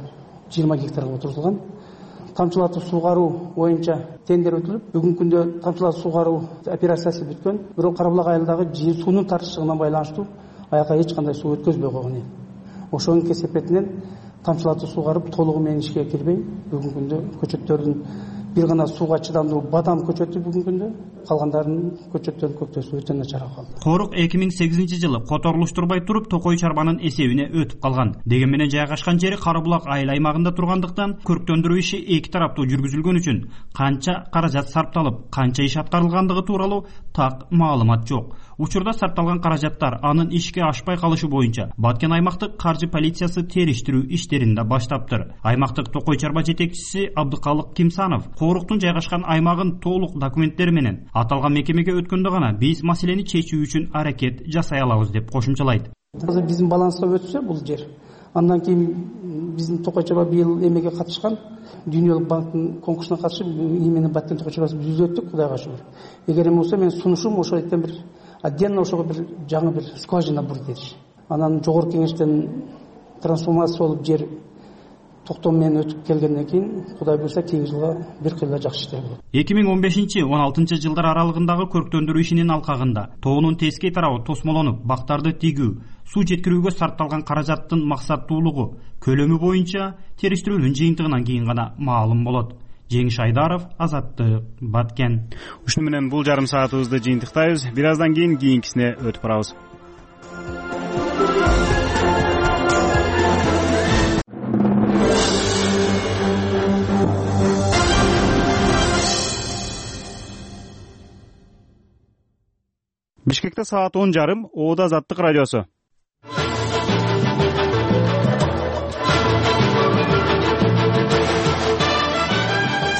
жыйырма гектарга отургузулган. Тамчылатып суугаруу боюнча тендер өтүлүп, бүгүнкү күндө тамчылатып суугаруу операциясы бүткөн. Бирок Карабулак айылдагы суунун тартышчылыгына байланыштуу аяка эч кандай суу өткөзбөй койгон. Ошонун кесепетинен тамчылатып суугарып толугу менен ишке кирбей, бүгүнкү күндө көчөттөрдүн бир гана сууга чыдамдуу бадам көчөтү бүгүнкү күндө, калгандарынын көчөттөрүнүн көктөсү өтө начар калды. Корук эки миң сегизинчи жылы которулуштурбай туруп Токой чарбанын эсебине өтүп калган. Деген менен жайгашкан жери Карабулак айыл аймагында тургандыктан көрктөндүрүү иши эки тараптуу жүргүзүлгөн үчүн канча каражат сарпталып, канча иш аткарылгандыгы тууралуу так маалымат жок. Учурда сарпталган каражаттар анын ишке ашпай калышы боюнча Баткен аймактык каржы полициясы териштирүү иштерин да баштаптыр. Аймактык Токой чарба жетекчиси Абдыкалык Кимсанов коруктун жайгашкан аймагын толук документтери менен аталган мекемеге өткөндө гана биз маселени чечүү үчүн аракет жасай алабыз деп кошумчалайт. Азыр биздин баланста өтсө бул жер, андан кийин биздин Токой чарба быйыл эмеге катышкан, Дүйнөлүк банктын конкурсуна катышып, имени Баткен Токой чарбасы биз өттүк, Кудайга шүгүр. Эгер эме болсо мен сунушум ошол эттен бир отдельно ошого бир жаңы бир скважина бур дедиш. Анан жогорку кеңештен трансформация болуп жер токтом менен өтүп келгенден кийин Кудай буйрса кийинки жылга бир кыйла жакшы иштер болот. эки миң он бешинчи он алтынчы жылдар аралыгындагы көрктөндүрүү ишинин алкагында тоонун тескей тарабы тосмолонуп, бактарды тигүү, суу жеткирүүгө сарпталган каражаттын максаттуулугу көлөмү боюнча териштирүүнүн жыйынтыгынан кийин гана маалым болот. Жеңиш Айдаров, Азаттык, Баткен. Ушуну менен бул жарым саатыбызды жыйынтыктайбыз. Бир аздан кийин кийинкисине өтүп барабыз. Бишкекте саат он жарым, Оода Азаттык радиосу.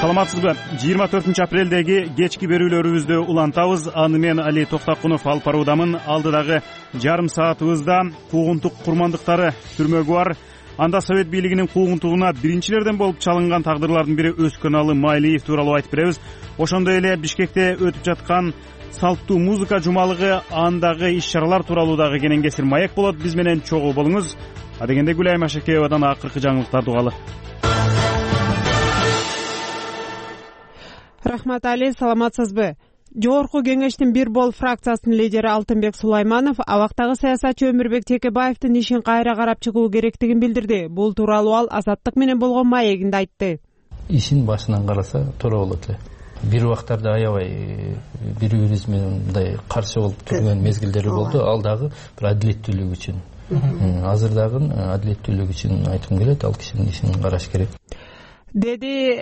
Саламатсызбы? жыйырма төртүнчү апрелдеги кечки берүүлөрүбүздү улантабыз. Аны мен Али Токтакунов алып баруудамын. Алдыдагы жарым саатыбызда куугунтук курмандыктары түрмөгү бар. Анда Совет бийлигинин куугунтугуна биринчилерден болуп чалынган тагдырлардын бири Өскөналы Майлиев тууралуу айтып беребиз. Ошондой эле Бишкекте өтүп жаткан салттуу музыка жумалыгы, андагы иш-чаралар тууралуу дагы кенен кесир маек болот. Биз менен чогуу болуңуз. Адегенде Гүлай Машекеевадан акыркы жаңылыктарды угалы. Рахмат Али, саламатсызбы? Жогорку кеңештин бир бол фракциясынын лидери Алтынбек Сулайманов абактагы саясатчы Өмүрбек Текебаевдин ишин кайра карап чыгуу керектигин билдирди. Бул тууралуу ал Азаттык менен болгон маегинде айтты. Ишин башынан караса туура болот эле. Бир убактарда аябай бири бирибиз менен мындай каршы болуп турган мезгилдери болду. Ал дагы бир адилеттүүлүк үчүн. Азыр дагы адилеттүүлүк үчүн айткым келет, ал кишинин ишин караш керек. Деди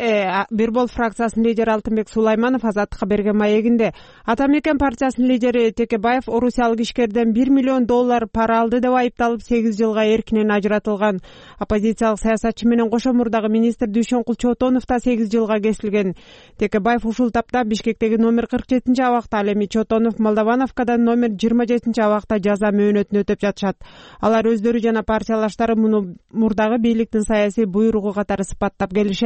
бир бол фракциясынын лидери Алтынбек Сулайманов Азаттыкка берген маегинде. Ата Мекен партиясынын лидери Текебаев орусиялык ишкерден бир миллион доллар пара алды деп айыпталып сегиз жылга эркинен ажыратылган. Оппозициялык саясатчы менен кошо мурдагы министр Дүйшөнкул Чотонов да сегиз жылга кесилген. Текебаев ушул тапта Бишкектеги номер кырк жетинчи абакта, ал эми Чотонов Молдовановкадан номер жыйырма жетинчи абакта жаза мөөнөтүн өтөп жатышат. Алар өздөрү жана партиялаштары муну мурдагы бийликтин саясий буйругу катары сыпаттап келишет.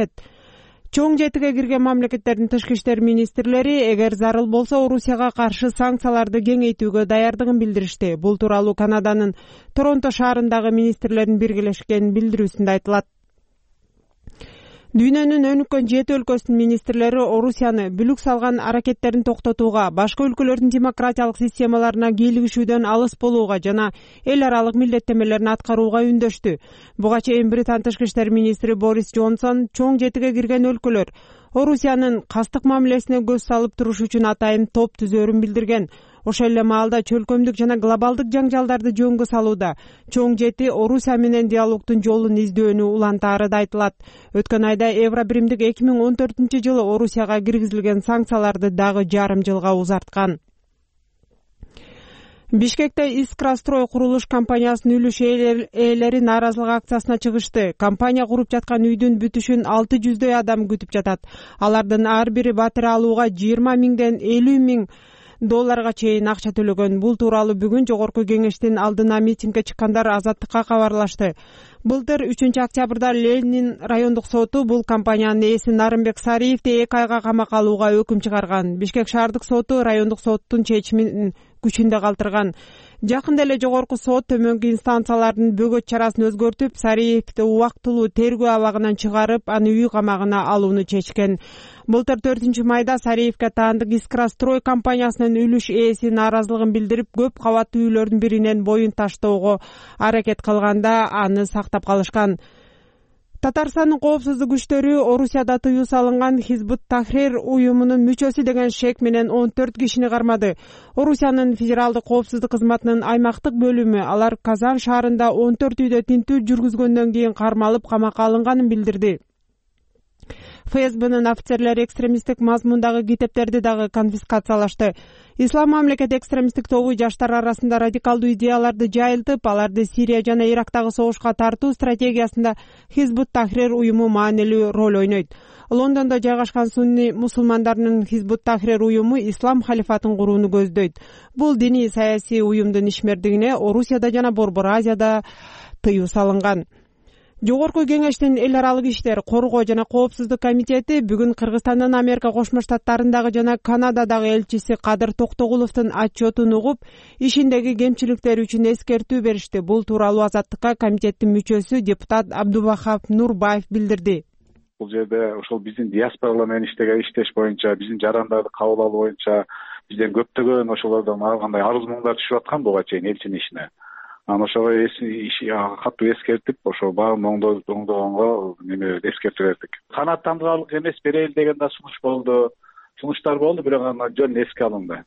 Чоң жетиге кирген мамлекеттердин тышкы иштер министрлери эгер зарыл болсо Орусияга каршы санкцияларды кеңейтүүгө даярдыгын билдиришти. Бул тууралуу Канаданын Торонто шаарындагы министрлердин биргелешкен билдирүүсүндө айтылат. Дүйнөнүн өнүккөн жети өлкөсүнүн министрлери Орусияны бүлүк салган аракеттерин токтотууга, башка өлкөлөрдүн демократиялык системаларына кийлигишүүдөн алыс болууга жана эл аралык милдеттемелерин аткарууга үндөштү. Буга чейин Британ тышкы иштер министри Борис Джонсон чоң жетиге кирген өлкөлөр Орусиянын кастык мамилесине көз салып туруш үчүн атайын топ түзөрүн билдирген. Ошол эле маалда чөлкөмдүк жана глобалдык жаңжалдарды жөнгө салууда чоң жети Орусия менен диалогдун жолун издөөнү улантаары да айтылат. Өткөн айда Евробиримдик эки миң он төртүнчү жылы Орусияга киргизилген санкцияларды дагы жарым жылга узарткан. Бишкекте Искрастрой курулуш компаниясынын үлүш ээлери нааразылык акциясына чыгышты. Компания куруп жаткан үйдүн бүтүшүн алты жүздөй адам күтүп жатат. Алардын ар бири батир алууга жыйырма миңден элүү миң долларга чейин акча төлөгөн. Бул тууралуу бүгүн жогорку кеңештин алдына митингге чыккандар Азаттыкка кабарлашты. Былтыр үчүнчү октябрда Ленин райондук соту бул компаниянын ээси Нарымбек Сариевди эки айга камакка алууга өкүм чыгарган. Бишкек шаардык соту райондук соттун чечимин күчүндө калтырган. Жакында эле жогорку сот төмөнкү инстанциялардын бөгөт чарасын өзгөртүп, Сариевди убактылуу тергөө абагынан чыгарып, аны үй камагына алууну чечкен. Былтыр төртүнчү майда Сариевге таандык Искрастрой компаниясынын үлүш ээси нааразылыгын билдирип, көп кабаттуу үйлөрдүн биринен боюн таштоого аракет кылганда аны сактап калышкан. Татарстандын коопсуздук күчтөрү Орусияда тыюу салынган Хизбут Тахрир уюмунун мүчөсү деген шек менен он төрт кишини кармады. Орусиянын федералдык коопсуздук кызматынын аймактык бөлүмү алар Казан шаарында он төрт үйдө тинтүү жүргүзгөндөн кийин кармалып камакка алынганын билдирди. ФСБнын офицерлери экстремисттик мазмундагы китептерди дагы конфискациялашты. Ислам мамлекет экстремисттик тобу жаштар арасында радикалдуу идеяларды жайылтып, аларды Сирия жана Ирактагы согушка тартуу стратегиясында Хизбут Тахрир уюму маанилүү роль ойнойт. Лондондо жайгашкан сунни мусулмандарынын Хизбут Тахрир уюму ислам халифатын курууну көздөйт. Бул диний саясий уюмдун ишмердигине Орусияда жана Борбор Азияда тыюу салынган. Жогорку кеңештин эл аралык иштер, коргоо жана коопсуздук комитети бүгүн Кыргызстандын Америка Кошмо Штаттарындагы жана Канададагы элчиси Кадыр Токтогуловдун отчетун угуп, ишиндеги кемчиликтер үчүн эскертүү беришти. Бул тууралуу Азаттыкка комитеттин мүчөсү депутат Абдубахап Нурбаев билдирди. Бул жерде ошол биздин диаспоралар менен иштеген иштеш боюнча, биздин жарандарды кабыл алуу боюнча бизден көптөгөн ошолордон ар кандай арыз муңдар түшүп аткан буга чейин элчинин ишине. Анан ошого катуу эскертип, ошо баарын оңдогонго неме эскертүү бердик. Канааттандырарлык эмес берели деген да сунуш болду. Сунуштар болду, бирок анан жөн эске алынды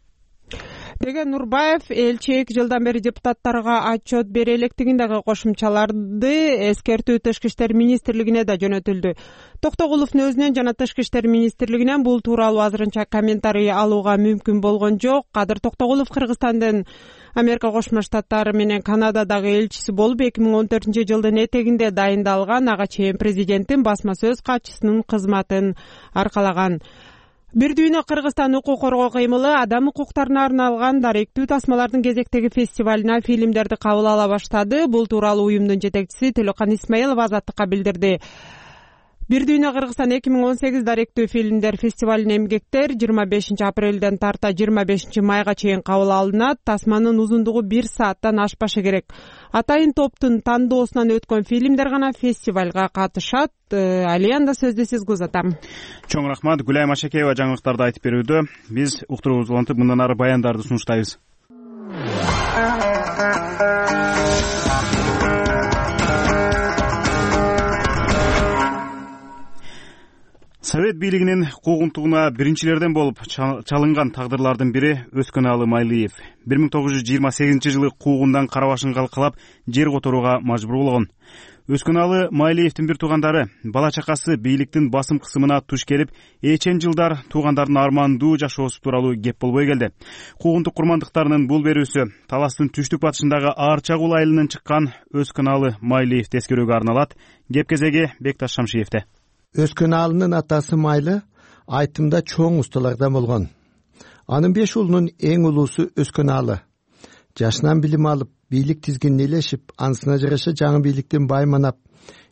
деген Нурбаев элчи эки жылдан бери депутаттарга отчет бере электигин дагы кошумчаларды. Эскертүү Тышкы иштер министрлигине да жөнөтүлдү. Токтогуловдун өзүнөн жана Тышкы иштер министрлигинен бул тууралуу азырынча комментарий алууга мүмкүн болгон жок. Кадыр Токтогулов Кыргызстандын Америка Кошмо Штаттары менен Канададагы элчиси болуп эки миң он төртүнчү жылдын этегинде дайындалган. Ага чейин президенттин басма сөз катчысынын кызматын аркалаган. Бир дүйнө Кыргызстан укук коргоо кыймылы адам укуктарына арналган даректүү тасмалардын кезектеги фестивалына фильмдерди кабыл ала баштады. Бул тууралуу уюмдун жетекчиси Төлөкан Исмаилов Азаттыкка билдирди. Бир дүйнө Кыргызстан эки миң он сегиз даректүү фильмдер фестивалынын эмгектер жыйырма бешинчи апрелден тарта жыйырма бешинчи майга чейин кабыл алынат. Тасманын узундугу бир сааттан ашпашы керек. Атайын топтун тандоосунан өткөн фильмдер гана фестивалга катышат. Алианда сөздү сизге узатам. Чоң рахмат. Гүлайым Ашекеева жаңылыктарды айтып берүүдө. Биз уктуруубузду улантып мындан ары баяндарды сунуштайбыз. Совет бийлигинин куугунтугуна биринчилерден болуп чалынган тагдырлардын бири Өскөналы Майлыев. бир миң тогуз жүз жыйырма сегизинчи жылы куугундан кара башын калкалап жер которууга мажбур болгон. Өскөналы Майлыевдин бир туугандары бала чакасы бийликтин басым кысымына туш келип, эчен жылдар туугандардын армандуу жашоосу тууралуу кеп болбой келди. Куугунтук курмандыктарынын бул берүүсү таластын түштүк батышындагы Аар Чагул айылынан чыккан Өскөналы Майлыевди эскерүүгө арналат. Кеп кезеги Бекташ Шамшиевде. Өскөналынын атасы Майлы айтымда чоң усталардан болгон. Анын беш уулунун эң улуусу Өскөналы. Жашынан билим алып, бийлик тизгинин элешип, анысына жараша жаңы бийликтин байманап,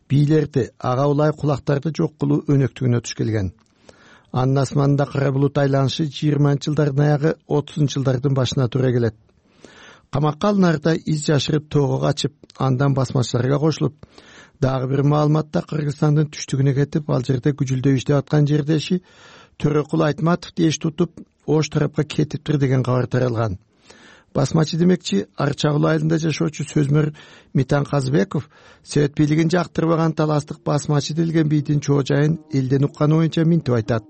бийлерди, ага улай кулактарды жок кылуу өнөктүгүнө туш келген. Анын асманында кара булут айланышы жыйырманчы жылдардын аягы отузунчу жылдардын башына туура келет. Камакка алынарда из жашырып тоого качып, андан басмачыларга кошулуп, дагы бир маалыматта Кыргызстандын түштүгүнө кетип, ал жерде күжүлдөп иштеп аткан жердеши Төрөкул Айтматов деш тутуп, ош тарапка кетиптир деген кабар таралган. Басмачы демекчи Аар Чагул айылында жашоочу сөзмөр Митан Казыбеков Совет бийлигин жактырбаган таластык басмачы делген бийдин чоо жайын элден укканы боюнча минтип айтат.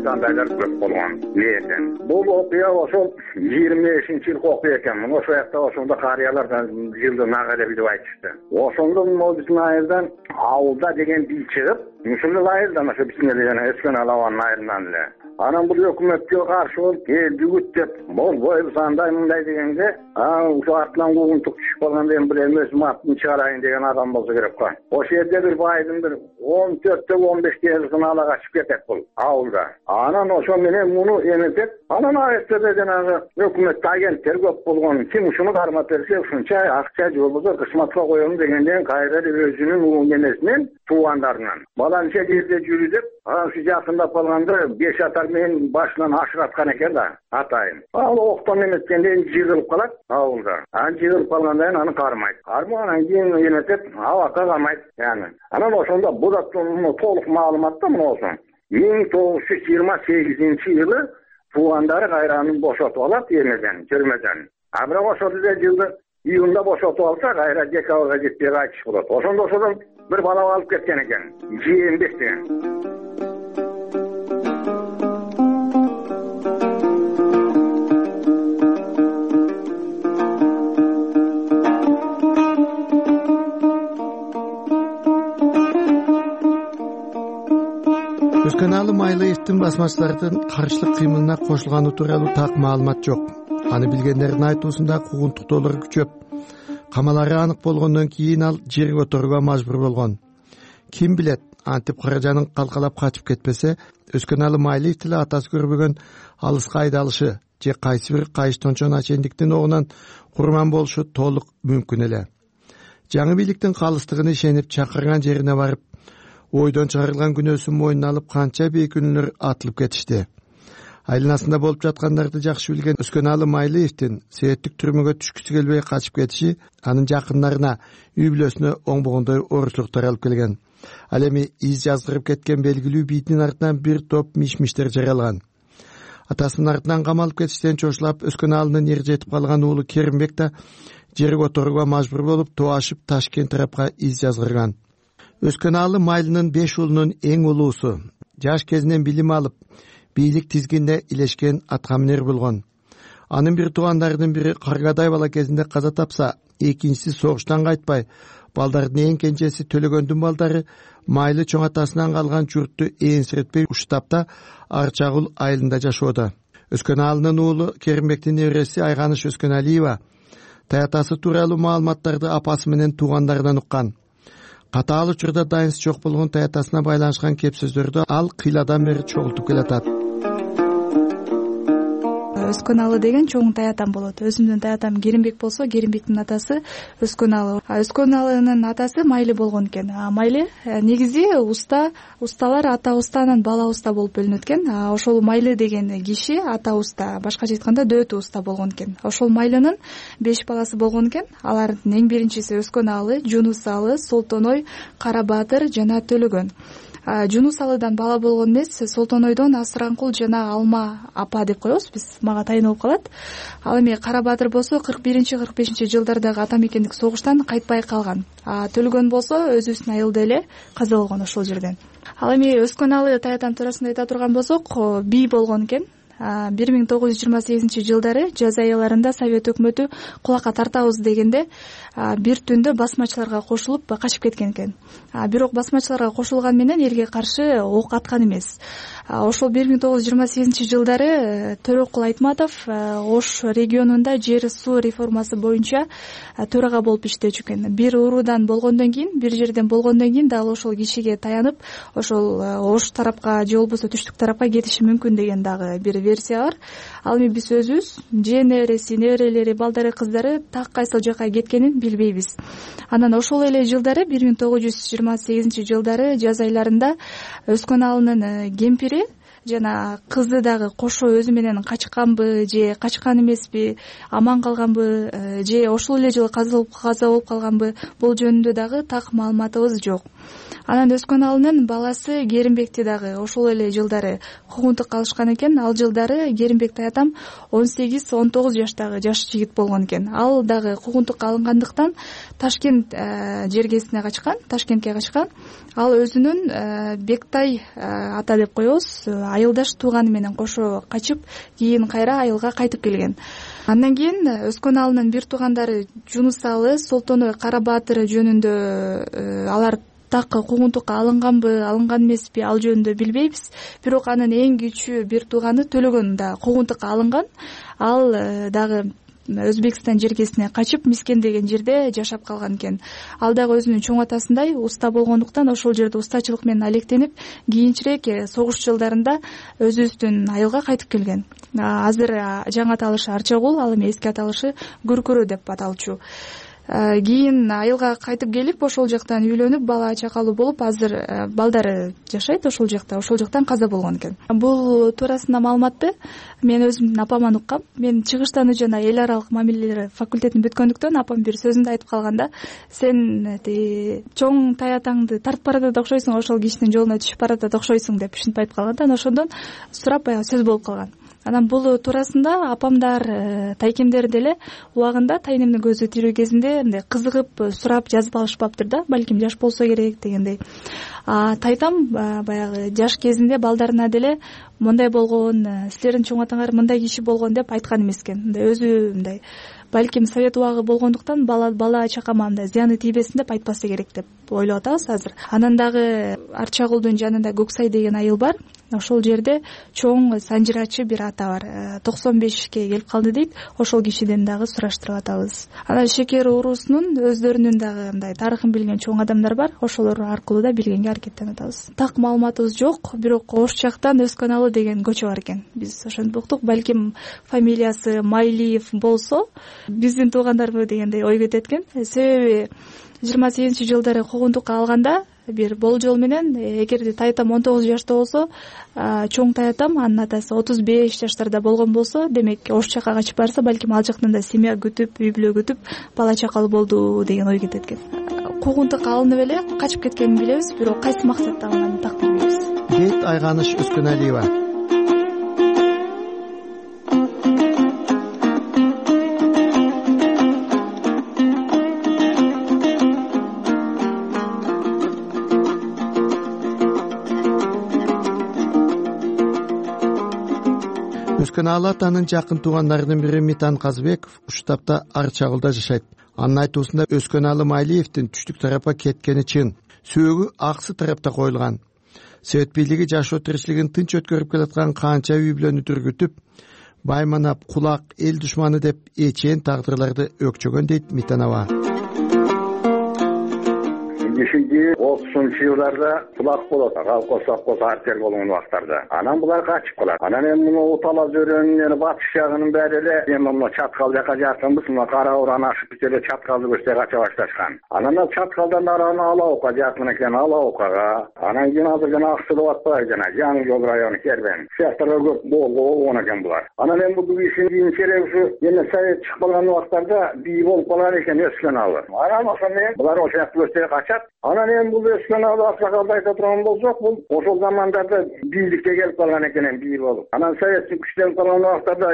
Дандайлар көп болгон экен. Бул окуя ошол жыйырма бешинчи жылкы окуя экен. Ошол жакта ошондо карыялардан жылдын ага деп айтышты. Ошондо биздин айылдан ауылда деген бий чыгып, ушул айылдан ошо биздин эле Өскөналы айылынан эле. Анан бул өкмөткө каршы болуп, эл жүгүт деп, болбойбуз андай мындай дегенде, а ошо артынан куугунтук түшүп калган деген бир өзүм атын чыгарайын деген адам болсо керек го. Ошол жерде бир байдын бир он төрттө он беште жылкын ала качып кетет бул ауылда. Анан ошо менен муну эметип, анан айыптырда жанагы өкмөттө агенттер көп болгон. Ким ушуну кармап берсе, ушунча акча же болбосо кызматка коем дегенден кайра өзүнүн угун эмесинен туугандарынан. Баланча жерде жүрү деп, анан ушу жакындап калганда беш атар менен башынан ашыраткан экен да, атайын. Ал октон эметкенде жыгылып калат ауылда. Анан жыгылып калгандан аны кармайт. Кармагандан кийин эметип, абакка кармайт. Яны. Анан ошондо бу да толук маалымат да мына миң тогуз жүз жыйырма сегизинчи жылы туугандары кайранын бошотуп алат эмеден, түрмөдөн. А бирок ошол эле жылды июнда бошотуп алса, кайра декабрга жетпей кайтыш болот. Ошондо ошодон бир бала алып кеткен экен. Жээнбек деген. Өскөналы Майлыевдин басмачылардын каршылык кыймылына кошулганы тууралуу так маалымат жок. Аны билгендердин айтуусунда куугунтуктоолор күчөп, камалары анык болгондон кийин ал жер которууга мажбур болгон. Ким билет, антип каражанын калкалап качып кетпесе, Өскөналы Майлыев деле атасы көрбөгөн алыска айдалышы, же кайсы бир кайыштончо начальниктин огунан курман болушу толук мүмкүн эле. Жаңы бийликтин калыстыгына ишенип чакырган жерине барып, ойдон чыгарылган күнөөсүн мойнуна алып канча бейкүнөлөр атылып кетишти. Айланасында болуп жаткандарды жакшы билген Өскөналы Майлиевдин себептик түрмөгө түшкүсү келбей качып кетиши анын жакындарына, үй бүлөсүнө оңбогондой ооручлуктар алып келген. Ал эми из жаздырып кеткен белгилүү бийтинин артынан бир топ миш-миштер жаралган. Атасынын артынан камалып кетиштен чочулап Өскөналынын эр жетип калган уулу Керимбек да жер которууга мажбур болуп тоашып Ташкент тарапка из жазгырган. Өскөналы Майлынын беш уулунун эң улуусу. Жаш кезинен билим алып, бийлик тизгинде илешкен аткаминер болгон. Анын бир туугандарынын бири Каргадай бала кезинде каза тапса, экинчиси согуштан кайтпай, балдардын эң кенжеси Төлөгөндүн балдары Майлы чоң атасынан калган журтту ээнсиретпей Уштапта Арчагул айылында жашоодо. Өскөналынын уулу Керимбектин небереси Айганыш Өскөналиева таятасы тууралуу маалыматтарды апасы менен туугандарынан уккан. Катаал учурда дайынсыз жок болгон таятасына байланышкан кеп сөздөрдү ал кыйладан бери чогултуп келатат. Өскөналы деген чоң таятам болот. Өзүмдүн таятам Керимбек болсо, Керимбектин атасы Өскөналы. Өскөналынын атасы Майлы болгон экен. Майлы негизи уста, усталар ата устанан бала уста болуп бөлүнөт экен. Ошол Майлы деген киши ата уста, башкача айтканда дөтө уста болгон экен. Ошол Майлынын беш баласы болгон экен. Алардын эң биринчиси Өскөналы, Жунусалы, Солтоной, Карабатыр жана Төлөгөн. Жунусалыдан бала болгон эмес, Солтонойдон Асыранкул жана Алма апа деп коебуз биз, мага тайын болуп калат. Ал эми Карабатыр болсо кырк биринчи кырк бешинчи жылдардагы ата мекендик согуштан кайтпай калган. Төлөгөн болсо өзүбүздүн айылда эле каза болгон ошол жерден. Ал эми Өскөналы таятам туурасында айта турган болсок, бий болгон экен. бир миң тогуз жүз жыйырма сегизинчи жылдары жаз аяларында Совет өкмөтү кулакка тартабыз дегенде бир түндө басмачыларга кошулуп качып кеткен экен. Бирок басмачыларга кошулган менен элге каршы ок аткан эмес. Ошол бир миң тогуз жүз жыйырма сегизинчи жылдары Төрөкул Айтматов Ош регионунда жер суу реформасы боюнча төрага болуп иштечү экен. Бир уруудан болгондон кийин, бир жерден болгондон кийин дагы ошол кишиге таянып, ошол Ош тарапка же болбосо түштүк тарапка кетиши мүмкүн деген дагы бир версия бар. Ал эми биз өзүбүз же небереси, неберелери, балдары, кыздары так кайсыл жака кеткенин билбейбиз. Анан ошол эле жылдары бир миң тогуз жүз жыйырма сегизинчи жылдары жаз айларында Өскөналынын кемпири жана кызы дагы кошо өзү менен качканбы же качкан эмеспи, аман калганбы же ошол эле жылы каза болуп калганбы, бул жөнүндө дагы так маалыматыбыз жок. Анан Өскөналынын баласы Керимбекти дагы ошол эле жылдары куугунтукка алышкан экен. Ал жылдары Керимбек таятам он сегиз он тогуз жаштагы жаш жигит болгон экен. Ал дагы куугунтукка алынгандыктан Ташкент жергесине качкан, Ташкентке качкан. Ал өзүнүн Бектай ата деп коебуз, айылдаш тууганы менен кошо качып, кийин кайра айылга кайтып келген. Андан кийин Өскөналынын бир туугандары Жунусалы, Солтоной, Карабатыр жөнүндө алар так куугунтукка алынганбы, алынган эмеспи, ал жөнүндө билбейбиз. Бирок анын эң кичүү бир тууганы Төлөгөн да куугунтукка алынган. Ал дагы Өзбекстан жергесине качып, Мискен деген жерде жашап калган экен. Ал дагы өзүнүн чоң атасындай уста болгондуктан ошол жерде устачылык менен алектенип, кийинчерээк согуш жылдарында өзүбүздүн айылга кайтып келген. Азыр жаңы аталышы Арчагул, ал эми эски аталышы Күркүрү деп аталчу. Кийин айылга кайтып келип, ошол жактан үйлөнүп, бала чакалуу болуп, азыр балдары жашайт ошол жакта, ошол жактан каза болгон экен. Бул туурасында маалыматты мен өзүмдүн апаман уккам. Мен чыгыштануу жана эл аралык мамилелер факультетин бүткөндүктөн апам бир сөзүндө айтып калганда, сен чоң таятаңды тартып баратат окшойсуң, ошол кишинин жолуна түшүп баратат окшойсуң деп ушинтип айтып калган. Ошондон сурап баягы сөз болуп калган. Анан бул туурасында апамдар, тайкемдер деле убагында тайнемдин көзү тирүү кезинде мындай кызыгып сурап жазып алышпаптыр да, балким жаш болсо керек дегендей. Тайтам баягы жаш кезинде балдарына деле мындай болгон, силердин чоң атаңар мындай киши болгон деп айткан эмес экен. Мындай өзү мындай балким совет убагы болгондуктан бала бала чакама мындай зыяны тийбесин деп айтпаса керек деп ойлоп атабыз азыр. Анан дагы Арчагулдун жанында Көксай деген айыл бар. ошол жерде чоң санжырачы бир ата бар, токсон бешке келип калды дейт. Ошол кишиден дагы сураштырып атабыз. Анан шекер уруусунун өздөрүнүн дагы мындай тарыхын билген чоң адамдар бар, ошолор аркылуу да билгенге аракеттенип атабыз. Так маалыматыбыз жок, бирок Ош жактан Өскөналы деген көчө бар экен. Биз ошентип уктук, балким фамилиясы Майлиев болсо биздин туугандарбы дегендей ой кетет экен. Себеби жыйырма сегизинчи жылдары куугунтукка алганда бир болжол менен эгерде таятам он тогуз жашта болсо, чоң таятам анын атасы отуз беш жаштарда болгон болсо, демек Ош жакка качып барса, балким ал жактан да семья күтүп, үй бүлө күтүп, бала чакалуу болду деген ой кетет экен. Куугунтукка алынып эле качып кеткенин билебиз, бирок кайсы максатта алынганын так билбейбиз. дейт Айганыш Өскөналиева. Өскөналы атанын жакын туугандарынын бири Митан Казбеков Уштапта Арчагылда жашайт. Анын айтуусунда Өскөналы Майлиевдин түштүк тарапка кеткени чын. Сөөгү аксы тарапта коюлган. Совет бийлиги жашоо тиричилигин тынч өткөрүп келаткан канча үй бүлөнү түргүтүп, байманап, кулак, эл душманы деп эчен тагдырларды өкчөгөн дейт Митан аба. бешинчи отузунчу жылдарда кулак болот, колхоз совхоз артель болгон убактарда. Анан булар качып калат. Анан эми муну Утала зөрөнүн батыш жагынын баары эле эми муну Чаткал жака жакынбыз, муну Кара Уран ашып бите эле Чаткалды көчтө кача башташкан. Анан ал Чаткалдан араны Алаокко жакын экен, Алаоккага. Анан кийин азыр жана Аксудап атпайбы, жана Жаңы жол району Кербен. Сыяктарга көп болгон экен булар. Анан эми бул ишин кийинчерээк ушу эме совет чыгып калган убактарда бий болуп калган экен Өскөналы. Анан ошондо булар ошол жакта көчтө качат. Анан эми бул Өскөналы аксакалды айта турган болсок, бул ошол замандарда бийликке келип калган экен, бий болуп. Анан советтик күчтөнүп калган убактарда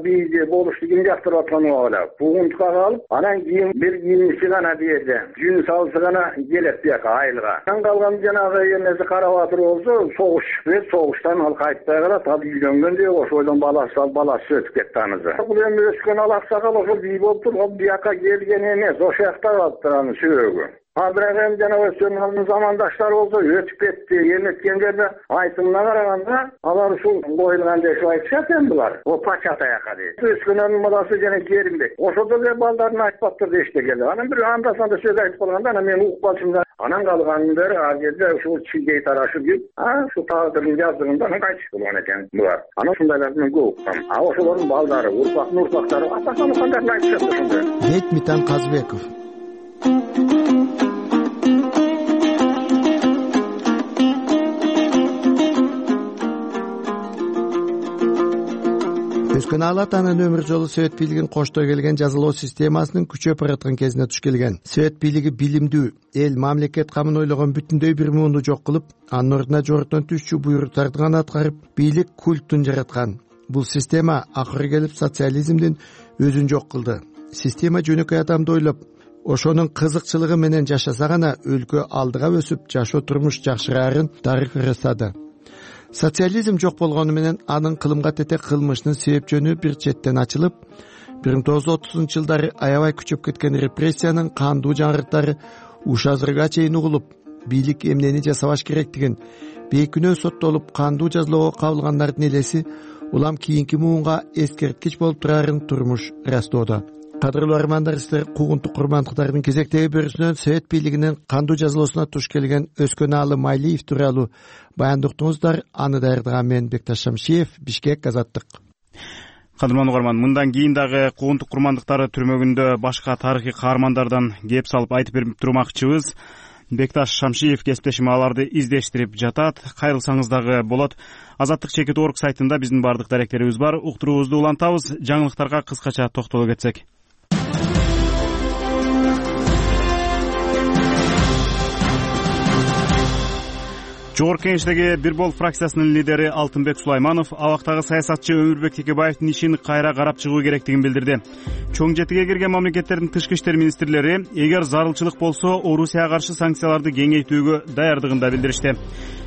бийди болушту ким жактырып аткан убагыда куугунтукка калып, анан кийин бир кийинчи гана берди. Жүн салсы гана келет бияка айылга. Анан калган жанагы эмеси Карабатыр болсо, согуш чыкты, согуштан ал кайтпай калат, ал үйлөнгөндө ошойдон баласы ал баласы өтүп кетти анысы. Бул эми Өскөналы аксакал ошол бий болуп туруп, бияка келген эмес, ошол жакта калыптыр анын сөөгү. Абрак эми жана Өскөналынын замандаштары болсо өтүп кетти, эметкендерде айтымына караганда алар ушул коюлган деп айтышат эми булар. О пача таяка дейт. Өскөналынын баласы жана Керимбек. Ошодо да балдарын айтпаптыр дешти келди. Анан бир анда санда сөз айтып калганда анан мен угуп калчумун. Анан калганын бери ал жерде ушул чилдей тарашып жүрүп, а ушул тагдырдын жаздыгында анан кайтып болгон экен булар. Анан ушундайларды мен көп уккам. А ошолордун балдары, урпактын урпактары атасаны кандайын айтышат ошондой. дейт Митан Казбеков. Өскөналы атанын өмүр жолу Совет бийлигин коштой келген жазалоо системасынын күчөп бараткан кезине туш келген. Совет бийлиги билимдүү, эл мамлекет камын ойлогон бүтүндөй бир муунду жок кылып, анын ордуна жогорудон түшчү буйруктарды гана аткарып, бийлик культун жараткан. Бул система акыры келип социализмдин өзүн жок кылды. Система жөнөкөй адамды ойлоп, ошонун кызыкчылыгы менен жашаса гана өлкө алдыга өсүп, жашоо турмуш жакшыраарын дарык ырастады. Социализм жок болгону менен анын кылымга тете кылмышынын себеп жөнү бир четтен ачылып, бир миң тогуз жүз отузунчу жылдары аябай күчөп кеткен репрессиянын кандуу жаңырыктары уш азырга чейин угулуп, бийлик эмнени жасабаш керектигин, бейкүнөө соттолуп кандуу жазалоого кабылгандардын элеси улам кийинки муунга эскерткич болуп турарын турмуш ырастоодо. Кадырлуу армандар, сиздер куугунтук курмандыктардын кезектеги бөлүүсүнөн Совет бийлигинин кандуу жазалоосуна туш келген Өскөналы Майлиев тууралуу баяндыктыңыздар. Аны даярдаган мен Бекташ Шамшиев, Бишкек, Азаттык. Кадырман угарман, мындан кийин дагы куугунтук курмандыктары түрмөгүндө башка тарыхый каармандардан кеп салып айтып берип турмакчыбыз. Бекташ Шамшиев кесиптешим аларды издештирип жатат. Кайрылсаңыз дагы болот. Азаттык чекит точка орг сайтында биздин бардык даректерибиз бар. Уктуруубузду улантабыз. Жаңылыктарга кыскача токтоло кетсек. Жогорку Кеңештеги Бир Бол фракциясынын лидери Алтынбек Сулайманов абактагы саясатчы Өмүрбек Текебаевдин ишин кайра карап чыгуу керектигин билдирди. Чоң жетиге кирген мамлекеттердин тышкы иштер министрлери эгер зарылчылык болсо Орусияга каршы санкцияларды кеңейтүүгө даярдыгын да билдиришти.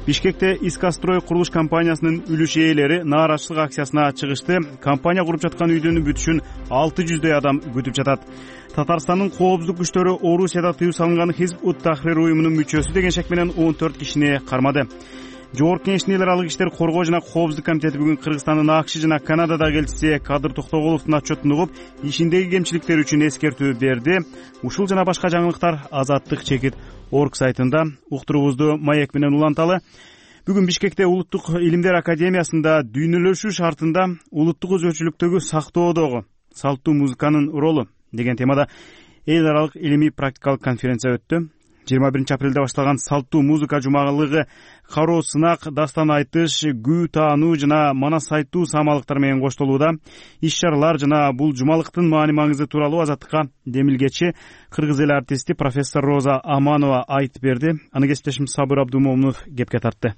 Бишкекте Искастрой курулуш компаниясынын үлүш ээлери нааразычылык акциясына чыгышты. Компания куруп жаткан үйдүн бүтүшүн алты жүздөй адам күтүп жатат. Татарстандын коопсуздук күчтөрү Орусияда тыюу салынган Хизб-ут-Тахрир уюмунун мүчөсү деген шек менен он төрт кишини кармады. Жогорку Кеңештин эл аралык иштер коргоо жана коопсуздук комитети бүгүн Кыргызстандын АКШ жана Канададагы элчиси Кадыр Токтоголовдун отчетун угуп, ишиндеги кемчиликтер үчүн эскертүү берди. Ушул жана башка жаңылыктар Азаттык чекит орг сайтында. Уктуруубузду маек менен уланталы. Бүгүн Бишкекте Улуттук илимдер академиясында дүйнөлөшүү шартында улуттук өзгөчөлүктөгү сактоодогу салттуу музыканын ролу деген темада эл аралык илимий практикалык конференция өттү. жыйырма биринчи апрелде башталган салттуу музыка жумалыгы кароо сынак, дастан айтыш, күү таануу жана манас айтуу самалыктар менен коштолууда. Иш-чаралар жана бул жумалыктын маани маңызы тууралуу Азаттыкка демилгечи кыргыз эл артисти профессор Роза Аманова айтып берди. Аны кесиптешим Сабыр Абдумомунов кепке тартты.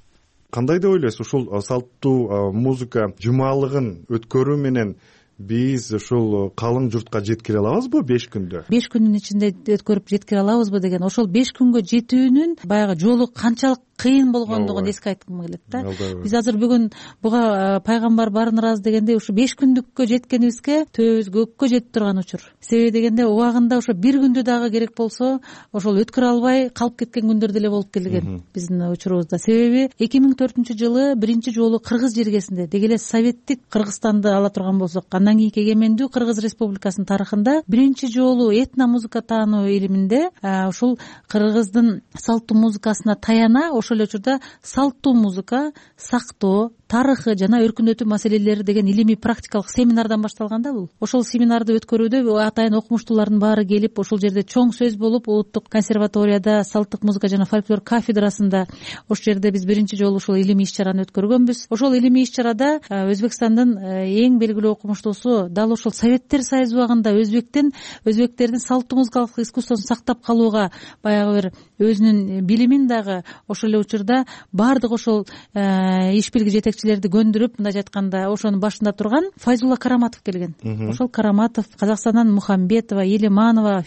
Кандай деп ойлойсуз, ушул салттуу музыка жумалыгын өткөрүү менен биз ушул калың журтка жеткире алабызбы беш күндө? беш күндүн ичинде өткөрүп жеткире алабызбы деген, ошол беш күнгө жетүүнүн баягы жолу канчалык кыйын болгондугун эске айткым келет да. Биз азыр бүгүн буга пайгамбар барын ыраазы дегенде ушу беш күндүккө жеткенибизге төбөбүз көккө жетип турган учур. Себеби дегенде убагында ошо бир күндү дагы керек болсо ошол өткөрө албай калып кеткен күндөр деле болуп келген биздин учурубузда. Себеби эки миң төртүнчү жылы биринчи жолу кыргыз жергесинде, деги эле советтик Кыргызстанды ала турган болсок, андан кийинки эгемендүү Кыргыз Республикасынын тарыхында биринчи жолу этно музыка таануу илиминде ушул кыргыздын салттуу музыкасына таяна ошол эле учурда салттуу музыка сактоо тарыхы жана өркүндөтүү маселелери деген илимий практикалык семинардан башталган да бул. Ошол семинарды өткөрүүдө атайын окумуштуулардын баары келип, ошол жерде чоң сөз болуп, Улуттук консерваторияда салттык музыка жана фольклор кафедрасында ошол жерде биз биринчи жолу ушул илимий иш-чараны өткөргөнбүз. Ошол илимий иш-чарада Өзбекстандын эң белгилүү окумуштуусу дал ошол Советтер Союзу убагында өзбектен өзбектердин салттуу музыкалык искусствосун сактап калууга баягы бир өзүнүн билимин дагы ошол эле учурда баардык ошол иш бирги жетекчилерди көндүрүп, мындай айтканда ошонун башында турган Файзулла Караматов келген. Ошол Караматов, Казакстандан Мухамбетова, Елиманова,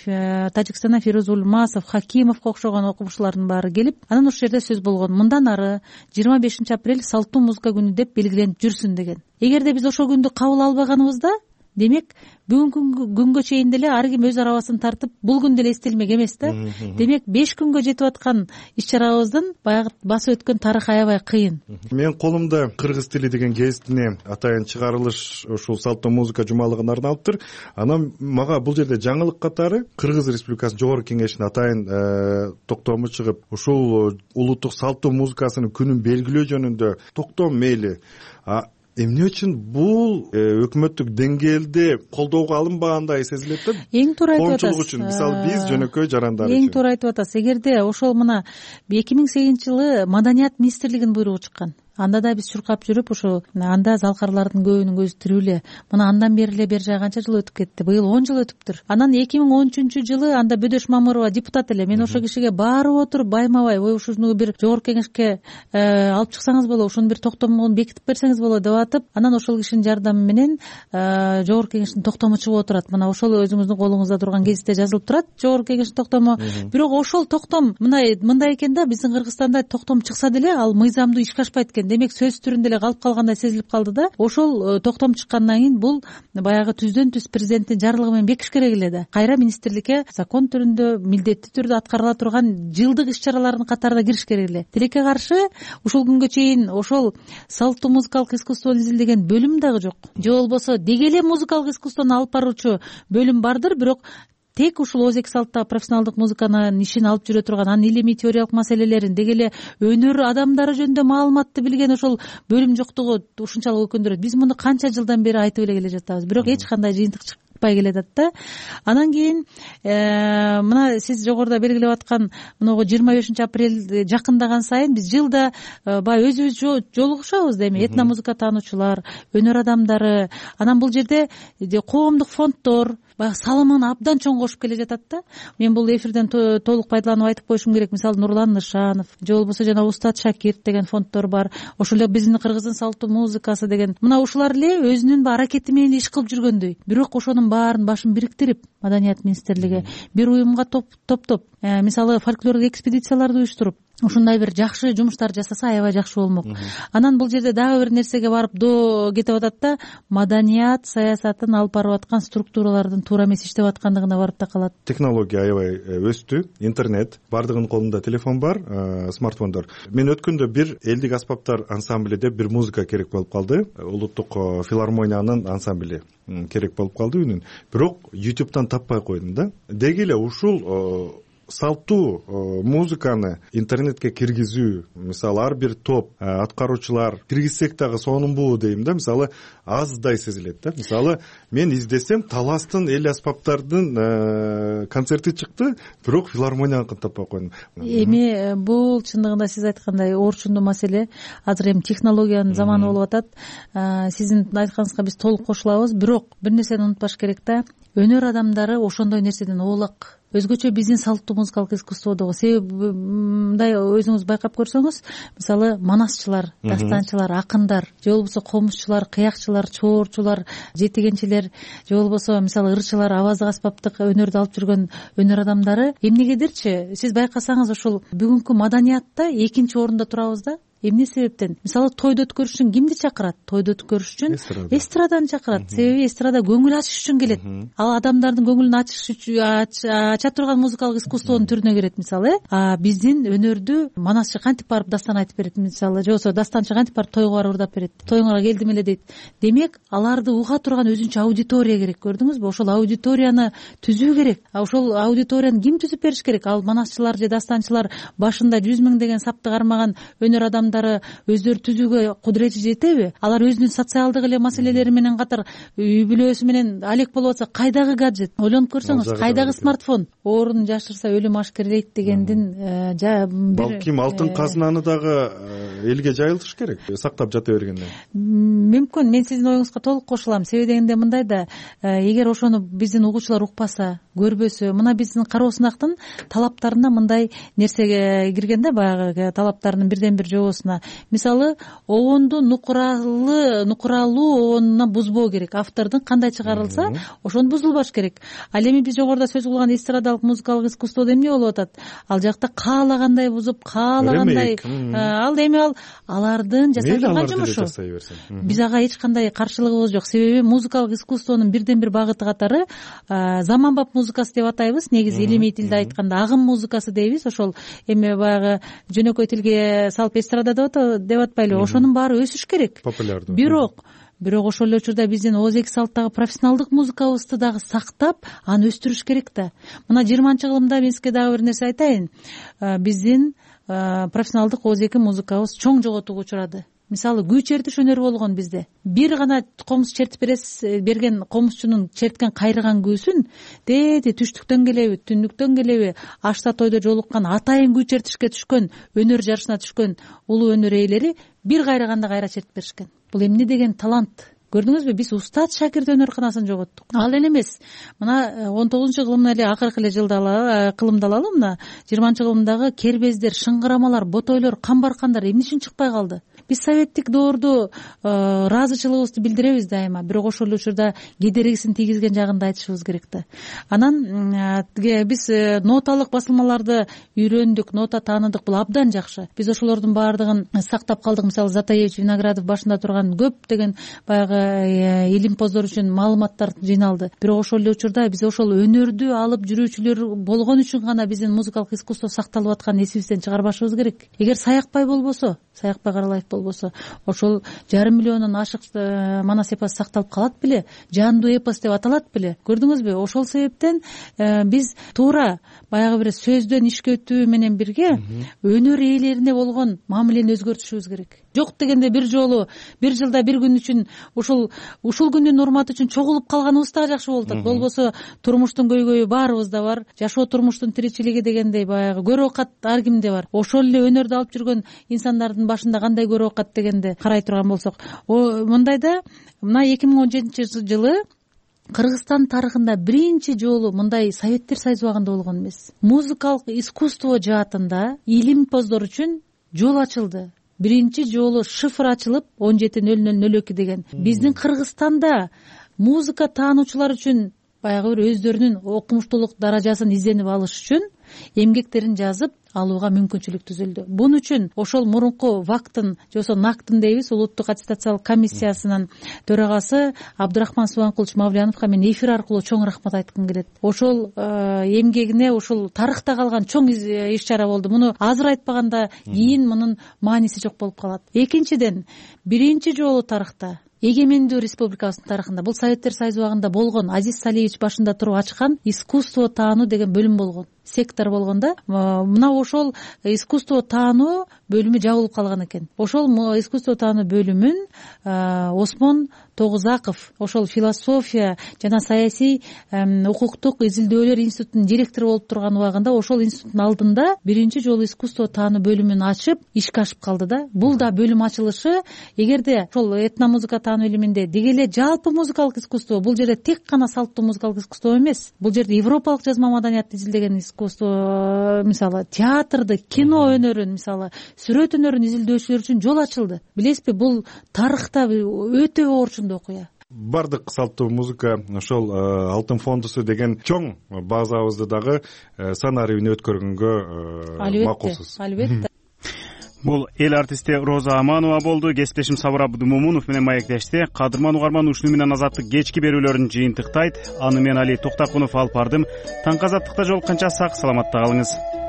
Тажикстандан Фирuz Улмасов, Хакимовго окшогон окумуштуулардын баары келип, анан ошол жерде сөз болгон. Мындан ары жыйырма бешинчи апрель салттуу музыка күнү деп белгиленип жүрсүн деген. Эгерде биз ошол күндү кабыл албаганыбызда, демек бүгүнкү күнгө чейин деле ар ким өз арабасын тартып, бул күн деле эстелмек эмес да. Демек беш күнгө жетип аткан иш-чарабыздын баягы басып өткөн тарыхы аябай кыйын. Менин колумда кыргыз тили деген гезитине атайын чыгарылыш ушул салттуу музыка жумалыгына арналыптыр. Анан мага бул жерде жаңылык катары Кыргыз Республикасынын Жогорку Кеңешинин атайын токтому чыгып, ушул улуттук салттуу музыкасынын күнүн белгилөө жөнүндө токтом мейли. Эмне үчүн бул өкмөттүк деңгээлде колдоого алынбагандай сезилет да? Эң туура айтып атасыз. Коомчулук үчүн, мисалы биз жөнөкөй жарандар үчүн. Эң туура айтып атасыз. Эгерде ошол мына эки миң сегизинчи жылы Маданият министрлигинин буйругу чыккан. Анда да биз чуркап жүрүп, ушу анда залкарлардын көбүнүн көзү тирүү эле. Мына андан бери эле бер жай канча жыл өтүп кетти? Быйыл он жыл өтүптүр. Анан эки миң он үчүнчү жылы анда Бөдөш Мамырова депутат эле. Мен ошол кишиге барып отуруп байма-бай, ой ушуну бир Жогорку Кеңешке алып чыксаңыз болот, ушуну бир токтомун бекитип берсеңиз болот деп атып, анан ошол кишинин жардамы менен Жогорку Кеңештин токтому чыгып отурат. Мына ошол өзүңүздүн колуңузда турган гезитте жазылып турат, Жогорку Кеңештин токтому. Бирок ошол токтом мындай мындай экен да, биздин Кыргызстанда токтом чыкса деле ал мыйзамдуу ишке ашпайт экен. Демек сөз түрүндө эле калып калгандай сезилип калды да. Ошол токтом чыккандан кийин бул баягы түздөн түз президенттин жарлыгы менен бекиш керек эле да. Кайра министрликке закон түрүндө милдеттүү түрдө аткарыла турган жылдык иш-чаралардын катарына кириш керек эле. Тилекке каршы ушул күнгө чейин ошол салттуу музыкалык искусствону изилдеген бөлүм дагы жок. Же болбосо деги эле музыкалык искусствону алып баруучу бөлүм бардыр, бирок тек ушул ооз эки салттагы профессионалдык музыканын ишин алып жүрө турган, анын илимий теориялык маселелерин, деги эле өнөр адамдары жөнүндө маалыматты билген ошол бөлүм жоктугу ушунчалык өкүндүрөт. Биз муну канча жылдан бери айтып эле келе жатабыз, бирок эч кандай жыйынтык чыкпай келатат да. Анан кийин мына сиз жогоруда белгилеп аткан могу жыйырма бешинчи апрель жакындаган сайын биз жылда баягы өзүбүз жолугушабыз да, эми этно музыка таануучулар, өнөр адамдары. Анан бул жерде коомдук фонддор баягы салымын абдан чоң кошуп келе жатат да. Мен бул эфирден толук пайдаланып айтып коюшум керек. Мисалы Нурлан Нышанов, же болбосо жана Устат Шакирт деген фонддор бар. Ошол эле биздин Кыргыздын салттуу музыкасы деген. Мына ушулар эле өзүнүн аракети менен иш кылып жүргөндөй. Бирок ошонун баарын башын бириктирип, Маданият министрлиги бир уюмга топтоп, мисалы фольклорлук экспедицияларды уюштуруп, ушундай бир жакшы жумуштар жасаса аябай жакшы болмок. Анан бул жерде дагы бир нерсеге барып до кетип атат да, маданият саясатын алып барып аткан структуралардын туура эмес иштеп аткандыгына барып такалат. Технология аябай өстү, интернет, баардыгынын колунда телефон бар, смартфондор. Мен өткөндө бир элдик аспаптар ансамбли деп бир музыка керек болуп калды. Улуттук филармониянын ансамбли керек болуп калды үнүн. Бирок ютубтан таппай койдум да. Деги эле ушул салттуу музыканы интернетке киргизүү, мисалы ар бир топ аткаруучулар киргизсек дагы сонунбу дейм да, мисалы аздай сезилет да. Мисалы мен издесем Таластын эл аспаптардын концерти чыкты, бирок филармонияныкын таппай койдум. Эми бул чындыгында сиз айткандай орчундуу маселе. Азыр эми технологиянын заманы болуп атат. Сиздин айтканыңызга биз толук кошулабыз, бирок бир нерсени унутпаш керек да. Өнөр адамдары ошондой нерседен оолак. Өзгөчө биздин салттуу музыкалык искусстводогу. Себеби мындай өзүңүз байкап көрсөңүз, мисалы манасчылар, дастанчылар, акындар, же болбосо комузчулар, кыякчылар, чоорчулар, жетигенчилер, же болбосо мисалы ырчылар, аваздык аспаптык өнөрдү алып жүргөн өнөр адамдары эмнегедирчи сиз байкасаңыз ушул бүгүнкү маданиятта экинчи орунда турабыз да. Эмне себептен? Мисалы тойду өткөрүш үчүн кимди чакырат? Тойду өткөрүш үчүн эстраданы чакырат. Себеби эстрада көңүл ачыш үчүн келет. Ал адамдардын көңүлүн ачыш үчүн ача турган музыкалык искусствонун түрүнө кирет мисалы. А биздин өнөрдү манасчы кантип барып дастан айтып берет мисалы, же болбосо дастанчы кантип барып тойго барып ырдап берет. Тоюңарга келдим эле дейт. Демек, аларды уга турган өзүнчө аудитория керек, көрдүңүзбү? Ошол аудиторияны түзүү керек. А ошол аудиторияны ким түзүп бериш керек? Ал манасчылар же дастанчылар башында жүз миң деген сапты кармаган өнөр адам өздөрү түзүүгө кудурети жетеби? Алар өзүнүн социалдык эле маселелери менен катар үй бүлөсү менен алек болуп атса, кайдагы гаджет? Ойлонуп көрсөңүз, кайдагы смартфон? Оорун жашырса өлүм ашкерлейт дегендин балким алтын казынаны дагы элге жайылтыш керек, сактап жата бергенден. Мүмкүн. Мен сиздин оюңузга толук кошулам. Себеби дегенде мындай да, эгер ошону биздин угуучулар укпаса, көрбөсө, мына биздин кароо сынактын талаптарына мындай нерсеге кирген да, баягы талаптарынын бирден бир жобосуна. Мисалы, обонду нукуралы, нукуралуу обонуна бузбоо керек. Автордун кандай чыгарылса, ошону бузулбаш керек. Ал эми биз жогоруда сөз кылган эстрадалык музыкалык искусстводо эмне болуп атат? Ал жакта каалагандай бузуп, каалагандай, ал эми ал алардын жасай турган жумушу. Биз ага эч кандай каршылыгыбыз жок. Себеби музыкалык искусствонун бирден бир багыты катары заманбап музыкасы деп атайбыз. Негизи илимий тилде айтканда агым музыкасы дейбиз. Ошол эми баягы жөнөкөй тилге салып эстрада деп атпайлыбы? Ошонун баары өсүш керек. Популярдуу. Бирок Бирок ошол эле учурда биздин ооз эки салттагы профессионалдык музыкабызды дагы сактап, аны өстүрүш керек да. Мына жыйырманчы кылымда мен сизге дагы бир нерсе айтайын. Биздин профессионалдык ооз эки музыкабыз чоң жоготууга учурады. Мисалы, күү чертиш өнөрү болгон бизде. Бир гана комуз чертип берген комузчунун черткен кайрыган күүсүн деди түштүктөн келеби, түндүктөн келеби, ашта тойдо жолуккан, атайын күү чертишке түшкөн, өнөр жарышына түшкөн улуу өнөр ээлери бир кайрыганда кайра чертип беришкен. Бул эмне деген талант? Көрдүңүзбү? Биз устат шакирт өнөрканасын жоготтук. Ал эле эмес. Мына он тогузунчу кылымдын эле акыркы эле жылда кылымды алалы, мына жыйырманчы кылымдагы кербездер, шыңгырамалар, ботойлор, камбаркандар эмне үчүн чыкпай калды? Биз советтик доорду ыраазычылыгыбызды билдиребиз дайыма, бирок ошол учурда кедергисин тийгизген жагын да айтышыбыз керек да. Анан биз ноталык басылмаларды үйрөндүк, нота тааныдык, бул абдан жакшы. Биз ошолордун баардыгын сактап калдык. Мисалы, Затаевич, Виноградов башында турган көптөгөн баягы илимпоздор үчүн маалыматтар жыйналды. Бирок ошол эле учурда биз ошол өнөрдү алып жүрүүчүлөр болгон үчүн гана биздин музыкалык искусство сакталып атканын эсибизден чыгарбашыбыз керек. Эгер Саякбай болбосо, Саякбай Каралаев болбосо, ошол жарым миллиондон ашык манас эпос сакталып калат беле, жандуу эпос деп аталат беле. Көрдүңүзбү? Ошол себептен биз туура баягы бир сөздөн ишке өтүү менен бирге өнөр ээлерине болгон мамилени өзгөртүшүбүз керек. Жок дегенде бир жолу бир жылда бир күн үчүн ушул ушул күндүн урматы үчүн чогулуп калганыбыз да жакшы болуп атат. Болбосо турмуштун көйгөйү баарыбызда бар, жашоо турмуштун тиричилиги дегендей баягы көрө окат ар кимде бар. Ошол эле өнөрдү алып жүргөн инсандардын башында кандай көрө окат дегенде карай турган болсок, мындайда мына эки миң он жетинчи жылы Кыргызстан тарыхында биринчи жолу мындай Советтер Союзу убагында болгон эмес. Музыкалык искусство жаатында илимпоздор үчүн жол ачылды. Биринчи жолу шифр ачылып он жети нөл нөл нөл эки деген. Биздин Кыргызстанда музыка таануучулар үчүн баягы бир өздөрүнүн окумуштуулук даражасын изденип алыш үчүн эмгектерин жазып алууга мүмкүнчүлүк түзүлдү. Бун үчүн ошол мурунку вактын же болбосо нактын дейбиз улуттук аттестациялык комиссиясынын төрагасы Абдырахман Субанкулович Мавляновго мен эфир аркылуу чоң рахмат айткым келет. Ошол эмгегине ушул тарыхта калган чоң иш чара болду. Муну азыр айтпаганда кийин мунун мааниси жок болуп калат. Экинчиден, биринчи жолу тарыхта, эгемендүү республикабыздын тарыхында, бул Советтер Союзу убагында болгон, Азиз Салиевич башында туруп ачкан искусство таануу деген бөлүм болгон, сектор болгон да. Мына ошол искусство таануу бөлүмү жабылып калган экен. Ошол искусство таануу бөлүмүн Осмон Тогузаков, ошол философия жана саясий укуктук изилдөөлөр институтунун директору болуп турган убагында ошол институттун алдында биринчи жолу искусство таануу бөлүмүн ачып ишке ашып калды да. Бул да бөлүм ачылышы, эгерде ошол этномузыка таануу илиминде деги эле жалпы музыкалык искусство, бул жерде тек гана салттуу музыкалык искусство эмес, бул жерде европалык жазма маданиятты изилдеген искусство, мисалы театрды, кино өнөрүн, мисалы сүрөт өнөрүн изилдөөчүлөр үчүн жол ачылды. Билесизби, бул тарыхта өтө орчундуу окуя. Бардык салттуу музыка ошол алтын фондусу деген чоң базабызды дагы санарибин өткөргөнгө макулсуз. Албетте. Бул эл артисти Роза Аманова болду. Кесиптешим Сабыр Абдымомунов менен маектешти. Кадырман угарман ушуну менен Азаттык кечки берүүлөрүн жыйынтыктайт. Аны мен Али Токтакунов алып бардым. Таңкы Азаттыкта жолукканча сак саламатта калыңыз.